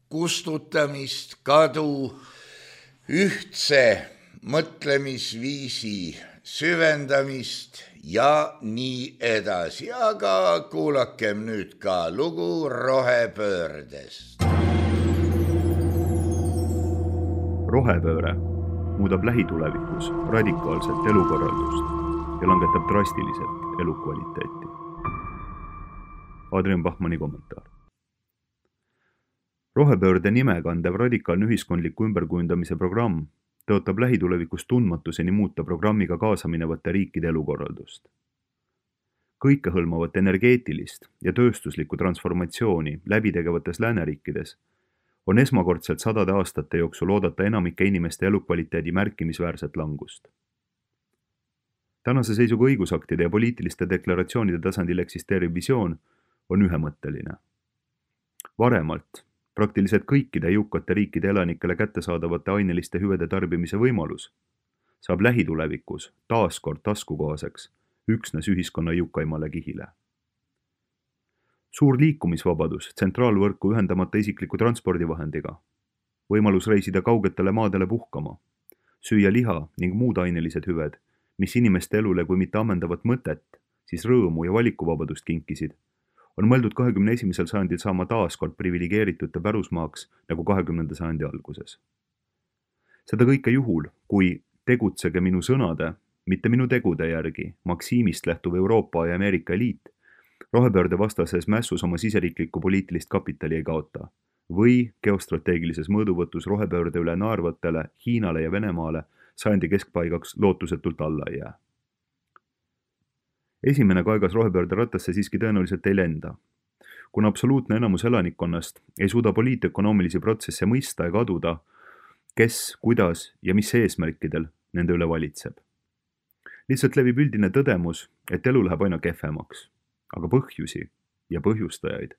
kustutamist, kadu, ühtse mõtlemisviisi süvendamist ja nii edasi. Aga kuulakem nüüd ka lugu rohepöördest. Rohepööre muudab lähitulevikus radikaalselt elukorraldust ja langetab drastiliselt elukvaliteeti. Adrian Bachmanni kommentaar. Rohepöörde nime kandev radikaalne ühiskondliku ümberkujundamise programm tõotab lähitulevikus tundmatuseni muuta programmiga kaasaminevate riikide elukorraldust. Kõikehõlmavat energeetilist ja tööstuslikku transformatsiooni läbitegevates lääneriikides on esmakordselt 100 aastate jooksul oodata enamike inimeste elukvaliteedi märkimisväärset langust. Tänase seisuga õigusaktide ja poliitiliste deklaratsioonide tasandil eksisteeriv visioon on ühemõtteline. Varemalt praktiliselt kõikide jõukate riikide elanikele kättesaadavate aineliste hüvede tarbimise võimalus saab lähitulevikus taaskord taskukohaseks üksnes ühiskonna jõukaimale kihile. Suur liikumisvabadus tsentraalvõrku ühendamata isikliku transpordivahendiga, võimalus reisida kaugetele maadele puhkama, süüa liha ning muud ainelised hüved, mis inimeste elule kui mitte ammendavat mõtet, siis rõõmu ja valikuvabadust kinkisid, on mõeldud 21. sajandil saama taaskord privilegeeritute pärusmaaks nagu 20. sajandi alguses. Seda kõike juhul, kui tegutsege minu sõnade, mitte minu tegude järgi, maksiimist lähtuv Euroopa ja Ameerika eliit, rohepöörde vastases mässus oma siseriiklikku poliitilist kapitali ei kaota või geostrateegilises mõõduvõtus rohepöörde üle naervatele Hiinale ja Venemaale sajandi keskpaigaks lootusetult alla ei jää. Esimene kaegas rohepöörde rattasse siiski tõenäoliselt ei lenda. Kuna absoluutne enamus elanikkonnast ei suuda poliitökonoomilisi protsesse mõista ega aduda, kes, kuidas ja mis eesmärkidel nende üle valitseb. Lihtsalt levib üldine tõdemus, et elu läheb aina kehvemaks, aga põhjusi ja põhjustajaid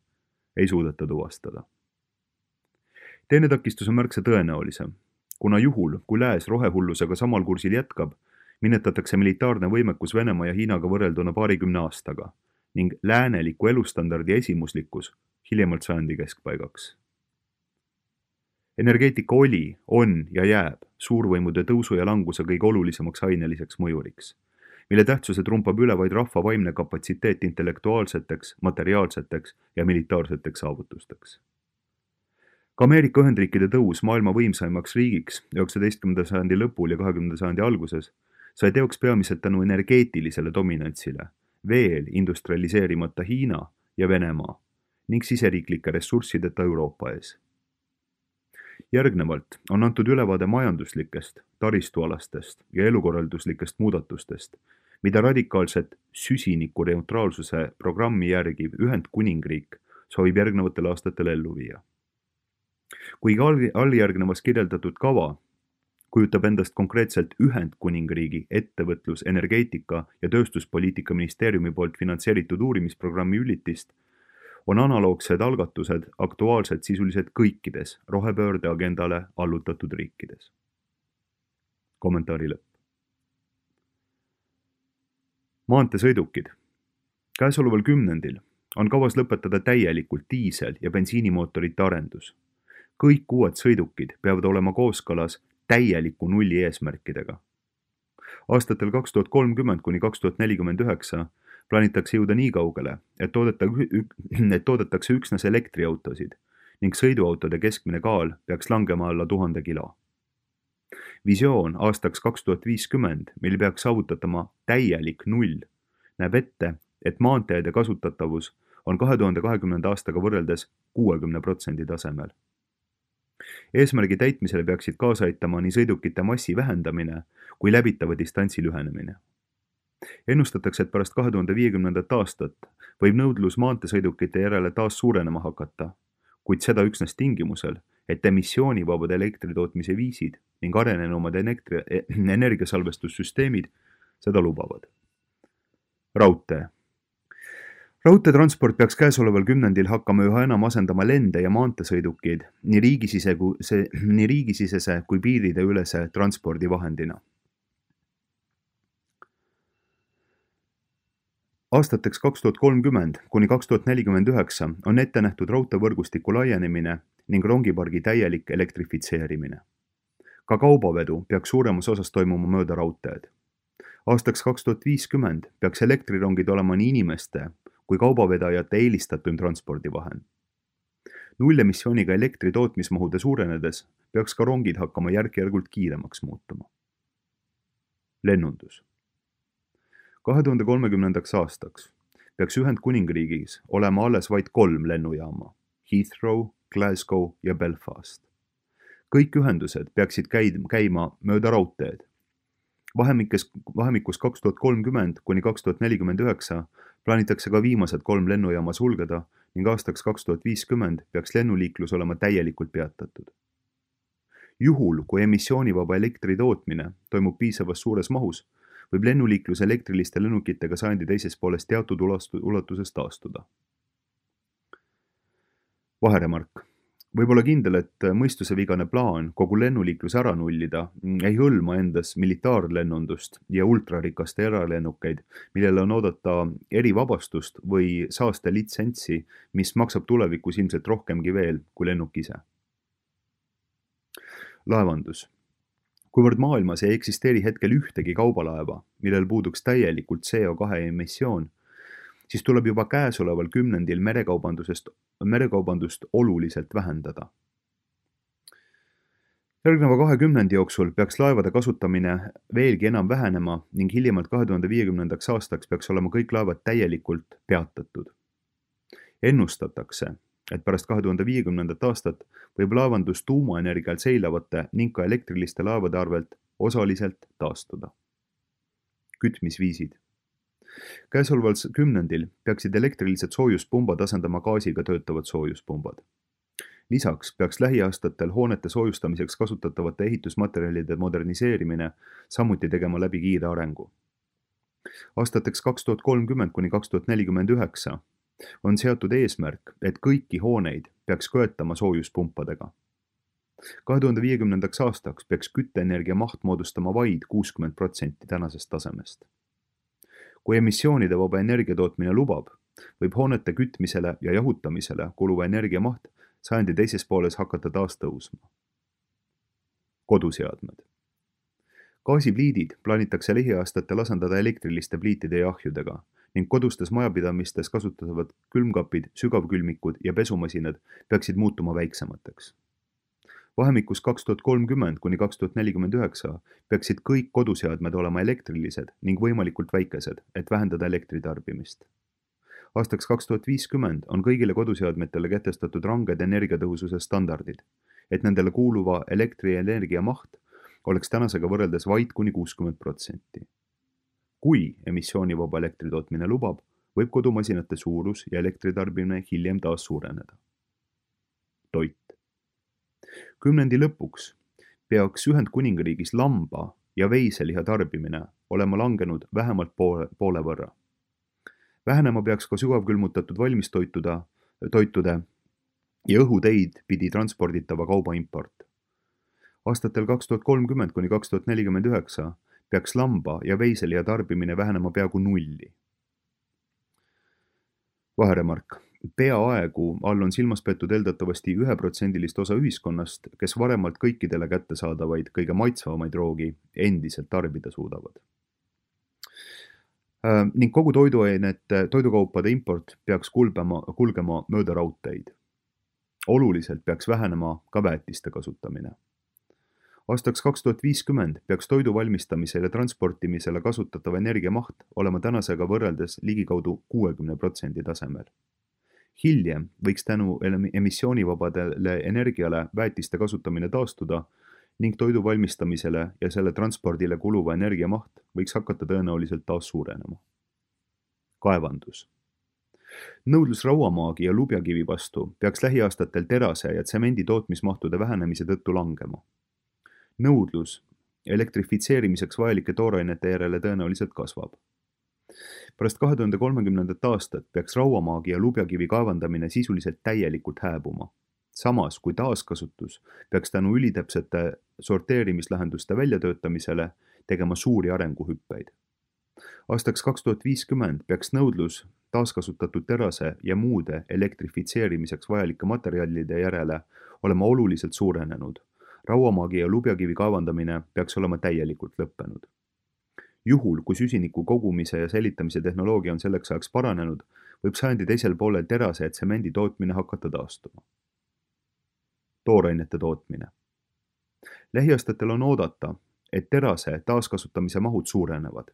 ei suudeta tuvastada. Teine takistus on märksa tõenäolisem, kuna juhul, kui lääs rohehullusega samal kursil jätkab, minetatakse militaarne võimekus Venemaa ja Hiinaga võrrelduna 20 aastaga ning lääneliku elustandardi esimuslikkus hiljemalt sajandi keskpaigaks. Energeetika oli, on ja jääb suurvõimude tõusu ja languse kõige olulisemaks aineliseks mõjuriks, mille tähtsuse trumpab üle vaid rahva vaimne kapatsiteet intellektuaalseteks, materiaalseteks ja militaarseteks saavutusteks. Ka Ameerika Ühendriikide tõus maailma võimsaimaks riigiks 19. sajandi lõpul ja 20. sajandi alguses sai teoks peamiselt tänu energeetilisele dominantsile, veel industrialiseerimata Hiina ja Venemaa ning siseriiklike ressurssideta Euroopa ees. Järgnevalt on antud ülevaade majanduslikest, taristualastest ja elukorralduslikest muudatustest, mida radikaalset süsiniku neutraalsuse programmi järgiv Ühendkuningriik soovib järgnevatel aastatel ellu viia. Kuigi alljärgnevas kirjeldatud kava kujutab endast konkreetselt Ühendkuningriigi ettevõtlus-, energeetika ja tööstuspoliitika ministeeriumi poolt finantseeritud uurimisprogrammi ülitist, on analoogsed algatused aktuaalsed sisuliselt kõikides rohepöörde agendale allutatud riikides. Kommentaari lõpp. Maanteesõidukid. Käesoleval kümnendil on kavas lõpetada täielikult diisel- ja bensiinimootorite arendus. Kõik uued sõidukid peavad olema kooskõlas täieliku nulli eesmärkidega. Aastatel 2030 kuni 2049 plaanitakse jõuda nii kaugele, et toodetakse üksnes elektriautosid ning sõiduautode keskmine kaal peaks langema alla 1000 kilo. Visioon aastaks 2050, mil peaks saavutatama täielik null, näeb ette, et maanteede kasutatavus on 2020. aastaga võrreldes 60% tasemel. Eesmärgi täitmisele peaksid kaasa aitama nii sõidukite massi vähendamine kui läbitava distantsi lühenemine. Ennustatakse, et pärast 2050. aastat võib nõudlus maanteesõidukite järele taas suurenema hakata, kuid seda üksnes tingimusel, et emissioonivabad elektritootmise viisid ning arenenumad energiasalvestussüsteemid seda lubavad. Raudtee. Raudteetransport peaks käesoleval kümnendil hakkama üha enam asendama lende ja maanteesõidukeid nii riigisisese kui piiride ülese transpordivahendina. Aastateks 2030 kuni 2049 on ette nähtud raudteevõrgustiku laienemine ning rongipargi täielik elektrifitseerimine. Ka kaubavedu peaks suuremas osas toimuma mööda raudteed. Aastaks 2050 peaks elektrirongid olema nii inimeste kui kaubavedajate eelistatum transpordivahend. Nullemissiooniga elektri tootmismahude suurenedes peaks ka rongid hakkama järk-järgult kiiremaks muutuma. Lennundus. 2030. aastaks peaks Ühendkuningriigis olema alles vaid 3 lennujaama: Heathrow, Glasgow ja Belfast. Kõik ühendused peaksid käima mööda raudteed. Vahemikus 2030 kuni 2049 plaanitakse ka viimased 3 lennujaama sulgeda ning aastaks 2050 peaks lennuliiklus olema täielikult peatatud. Juhul, kui emissioonivaba elektri tootmine toimub piisavas suures mahus, võib lennuliiklus elektriliste lennukitega sajandi teises pooles teatud ulatuses taastuda. Vaheremark. Võib olla kindel, et mõistusevigane plaan kogu lennuliiklus ära nullida ei hõlma endas militaarlennundust ja ultrarikaste eralennukeid, millele on oodata erivabastust või saaste litsentsi, mis maksab tulevikus ilmselt rohkemgi veel kui lennuk ise. Laevandus. Kuivõrd maailmas ei eksisteeri hetkel ühtegi kaubalaeva, millel puuduks täielikult CO2 emissioon, siis tuleb juba käesoleval kümnendil merekaubandust oluliselt vähendada. Järgneva 20 jooksul peaks laevade kasutamine veelgi enam vähenema ning hiljemalt 2050. aastaks peaks olema kõik laevad täielikult peatatud. Ennustatakse, et pärast 2050. aastat võib laevandus tuumaenergial seilavate ning ka elektriliste laevade arvelt osaliselt taastuda. Kütmisviisid. Käesoleval kümnendil peaksid elektrilised soojuspumbad asendama gaasiga töötavad soojuspumbad. Lisaks peaks lähiaastatel hoonete soojustamiseks kasutatavate ehitusmaterjalide moderniseerimine samuti tegema läbi kiire arengu. Aastateks 2030 kuni 2049 on seatud eesmärk, et kõiki hooneid peaks köetama soojuspumpadega. 2050. aastaks peaks kütteenergia maht moodustama vaid 60% tänasest tasemest. Kui emissioonide vaba energiatootmine lubab, võib hoonete kütmisele ja jahutamisele kuluva energia maht sajandi teises pooles hakata taas tõusma. Koduseadmed. Gaasipliidid plaanitakse lähiaastatel asendada elektriliste pliitide ja ahjudega ning kodustes majapidamistes kasutatavad külmkapid, sügavkülmikud ja pesumasinad peaksid muutuma väiksemateks. Vahemikus 2030 kuni 2049 peaksid kõik koduseadmed olema elektrilised ning võimalikult väikesed, et vähendada elektritarbimist. Aastaks 2050 on kõigile koduseadmetele kehtestatud ranged energiatõhususe standardid, et nendele kuuluva elektrienergia maht oleks tänasega võrreldes vaid kuni 60%. Kui emissioonivaba elektritootmine lubab, võib kodumasinate suurus ja elektritarbimine hiljem taas suureneda. Toit. Kümnendi lõpuks peaks Ühendkuningriigis lamba ja veiseliha tarbimine olema langenud vähemalt poole võrra. Vähenema peaks ka sügavkülmutatud valmistoitude ja õhuteid pidi transporditava kauba import. Aastatel 2030 kuni 2049 peaks lamba ja veiseliha tarbimine vähenema peaaegu nulli. Vaheremark. Peaaegu all on silmas peetud eeldatavasti 1% osa ühiskonnast, kes varemalt kõikidele kättesaadavaid kõige maitsvamaid roogi endiselt tarbida suudavad. Ning kogu toidukaupade import peaks kulgema mööda raudteid. Oluliselt peaks vähenema ka väetiste kasutamine. Aastaks 2050 peaks toidu valmistamisele ja transportimisele kasutatava energia maht olema tänasega võrreldes ligikaudu 60% tasemel. Hiljem võiks tänu emissioonivabadele energiale väetiste kasutamine taastuda ning toidu valmistamisele ja selle transpordile kuluva energia maht võiks hakata tõenäoliselt taas suurenema. Kaevandus. Nõudlus rauamaagi ja lubjakivi vastu peaks lähiaastatel terase ja tsemendi tootmismahtude vähenemise tõttu langema. Nõudlus elektrifitseerimiseks vajalike toorainete järele tõenäoliselt kasvab. Pärast 2030. aastat peaks rauamaagi ja lubjakivi kaevandamine sisuliselt täielikult hääbuma. Samas kui taaskasutus peaks tänu ülitäpsete sorteerimislahenduste väljatöötamisele tegema suuri arenguhüppeid. Aastaks 2050 peaks nõudlus taaskasutatud terase ja muude elektrifitseerimiseks vajalike materjalide järele olema oluliselt suurenenud. Rauamaagi ja lubjakivi kaevandamine peaks olema täielikult lõppenud. Juhul, kui süsiniku kogumise ja säilitamise tehnoloogia on selleks ajaks paranenud, võib sajandi teisel poolel terase ja tsemendi tootmine hakata taastuma. Toorainete tootmine. Lähiaastatel on oodata, et terase taaskasutamise mahud suurenevad.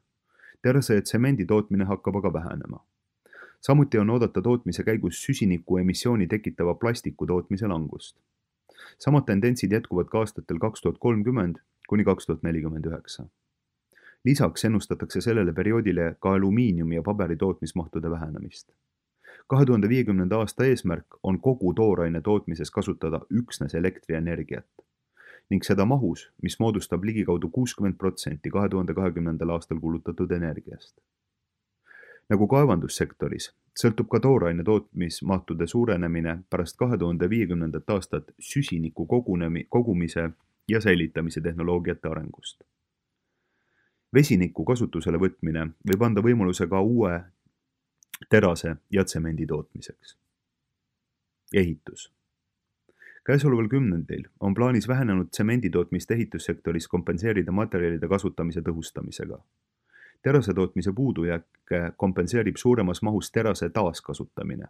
Terase ja tsemendi tootmine hakkab aga vähenema. Samuti on oodata tootmise käigus süsiniku emissiooni tekitava plastiku tootmise langust. Samad tendentsid jätkuvad ka aastatel 2030 kuni 2049. Lisaks ennustatakse sellele perioodile ka alumiiniumi ja paberi tootmismahtude vähenemist. 2050. aasta eesmärk on kogu tooraine tootmises kasutada üksnes elektrienergiat ning seda mahus, mis moodustab ligikaudu 60% 2020. aastal kulutatud energiast. Nagu kaevandussektoris, sõltub ka tooraine tootmismahtude suurenemine pärast 2050. aastat süsiniku kogumise ja säilitamise tehnoloogiate arengust. Vesiniku kasutusele võtmine võib anda võimaluse ka uue terase ja tsemendi tootmiseks. Ehitus. Käesoleval kümnendil on plaanis vähenenud tsemendi tootmist ehitussektoris kompenseerida materjalide kasutamise tõhustamisega. Terase tootmise puudujääke kompenseerib suuremas mahus terase taaskasutamine.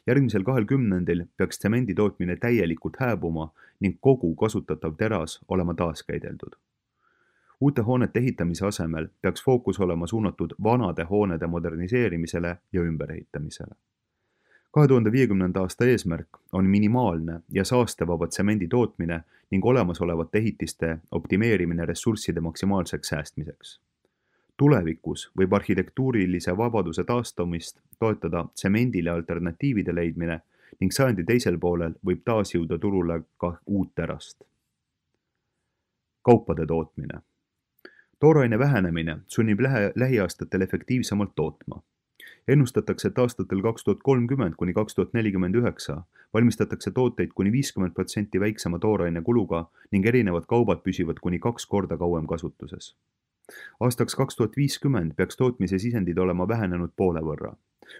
Järgmisel 20 peaks tsemendi tootmine täielikult hääbuma ning kogu kasutatav teras olema taaskäideldud. Uute hoonete ehitamise asemel peaks fookus olema suunatud vanade hoonede moderniseerimisele ja ümberehitamisele. 2050. aasta eesmärk on minimaalne ja saastevaba tsemendi tootmine ning olemasolevate ehitiste optimeerimine ressursside maksimaalseks säästmiseks. Tulevikus võib arhitektuurilise vabaduse taastumist toetada tsemendile alternatiivide leidmine ning sajandi teisel poolel võib taas jõuda turule ka uut terast. Kaupade tootmine. Tooraine vähenemine sunnib lähiaastatel efektiivsemalt tootma. Ennustatakse, et aastatel 2030 kuni 2049 valmistatakse tooteid kuni 50% väiksema tooraine kuluga ning erinevad kaubad püsivad kuni 2 korda kauem kasutuses. Aastaks 2050 peaks tootmise sisendid olema vähenenud poole võrra,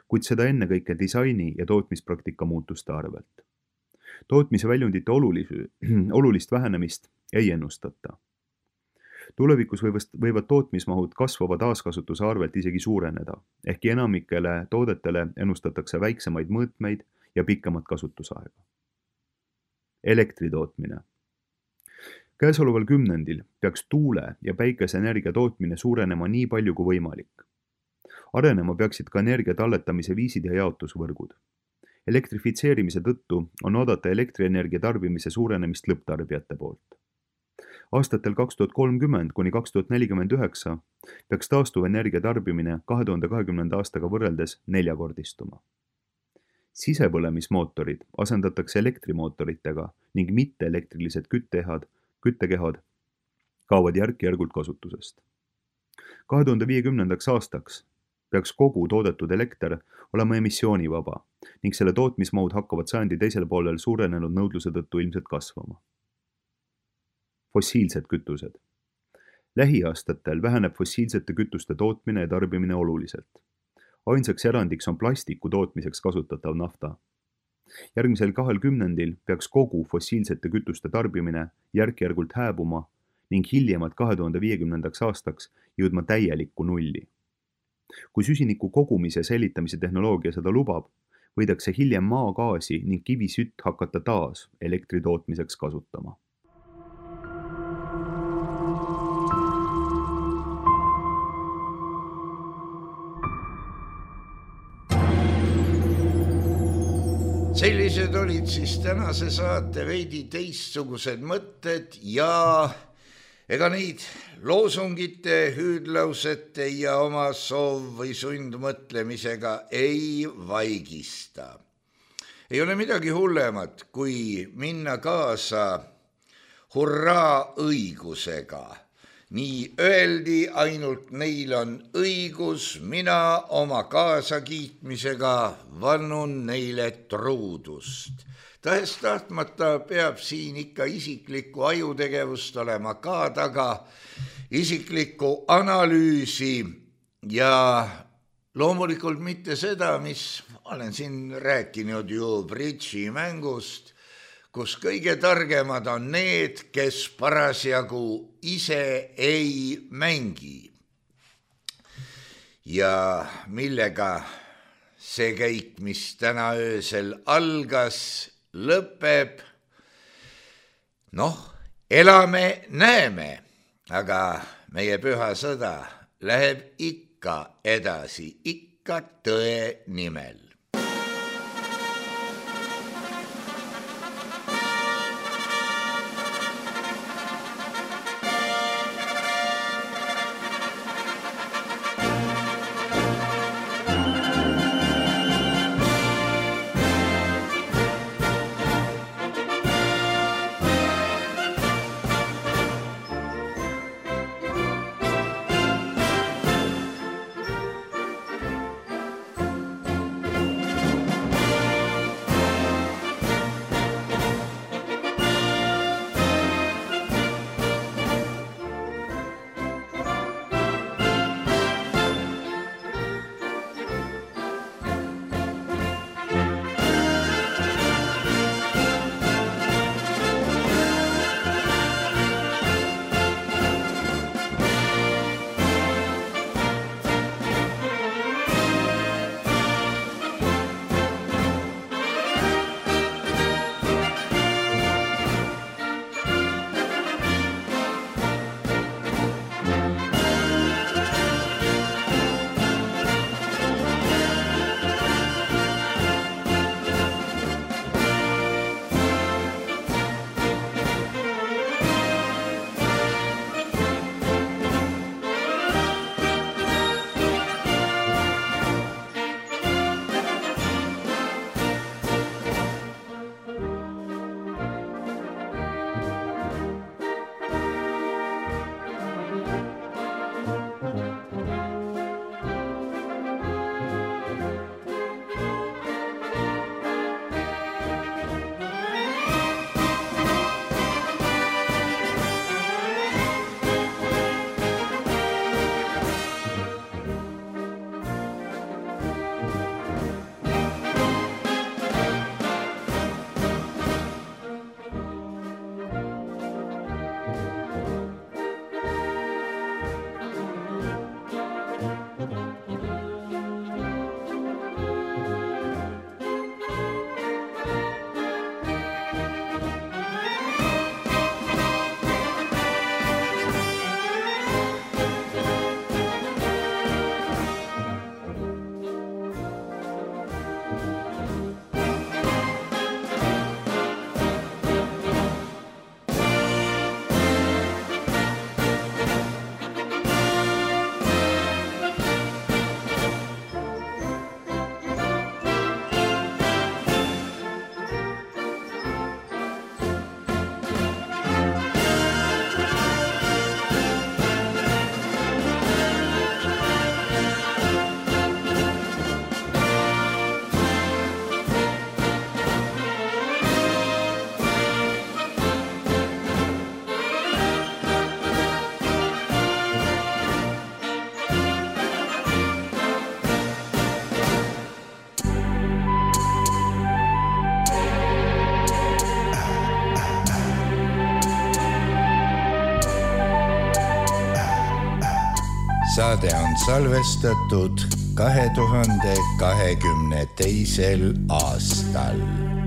kuid seda ennekõike disaini ja tootmispraktika muutuste arvelt. Tootmise väljundite olulist vähenemist ei ennustata. Tulevikus võivad tootmismahud kasvava taaskasutuse arvelt isegi suureneda, ehkki enamikele toodetele ennustatakse väiksemaid mõõtmeid ja pikemat kasutusaega. Elektri tootmine. Käesoleval kümnendil peaks tuule- ja päikeseenergia tootmine suurenema nii palju kui võimalik. Arenema peaksid ka energia talletamise viisid ja jaotusvõrgud. Elektrifitseerimise tõttu on oodata elektrienergia tarbimise suurenemist lõpptarbijate poolt. Aastatel 2030 kuni 2049 peaks taastuvenergia tarbimine 2020. aastaga võrreldes 4-kordistuma. Sisepõlemismootorid asendatakse elektrimootoritega ning mitteelektrilised küttekehad kaovad järk-järgult kasutusest. 2050. aastaks peaks kogu toodetud elekter olema emissioonivaba ning selle tootmismahud hakkavad sajandi teisel poolel suurenenud nõudluse tõttu ilmselt kasvama. Fossiilsed kütused. Lähiaastatel väheneb fossiilsete kütuste tootmine ja tarbimine oluliselt. Ainsaks erandiks on plastiku tootmiseks kasutatav nafta. Järgmisel 20 peaks kogu fossiilsete kütuste tarbimine järk-järgult hääbuma ning hiljemalt 2050. aastaks jõudma täielikku nulli. Kui süsiniku kogumise ja säilitamise tehnoloogia seda lubab, võidakse hiljem maagaasi ning kivisütt hakata taas elektri tootmiseks kasutama. Sellised olid siis tänase saate veidi teistsugused mõtted ja ega neid loosungite, hüüdlausete ja oma soov või sundmõtlemisega ei vaigista. Ei ole midagi hullemat, kui minna kaasa hurraa õigusega. Nii öeldi, ainult neil on õigus, mina oma kaasakiitmisega vannun neile truudust. Tahes-tahtmata peab siin ikka isiklikku ajutegevust olema ka taga, isiklikku analüüsi ja loomulikult mitte seda, mis olen siin rääkinud ju bridžimängust, kus kõige targemad on need, kes parasjagu ise ei mängi. Ja millega see käik, mis täna öösel algas, lõpeb? Elame, näeme, aga meie püha sõda läheb ikka edasi, ikka tõe nimel. Saade on salvestatud 2022. aastal.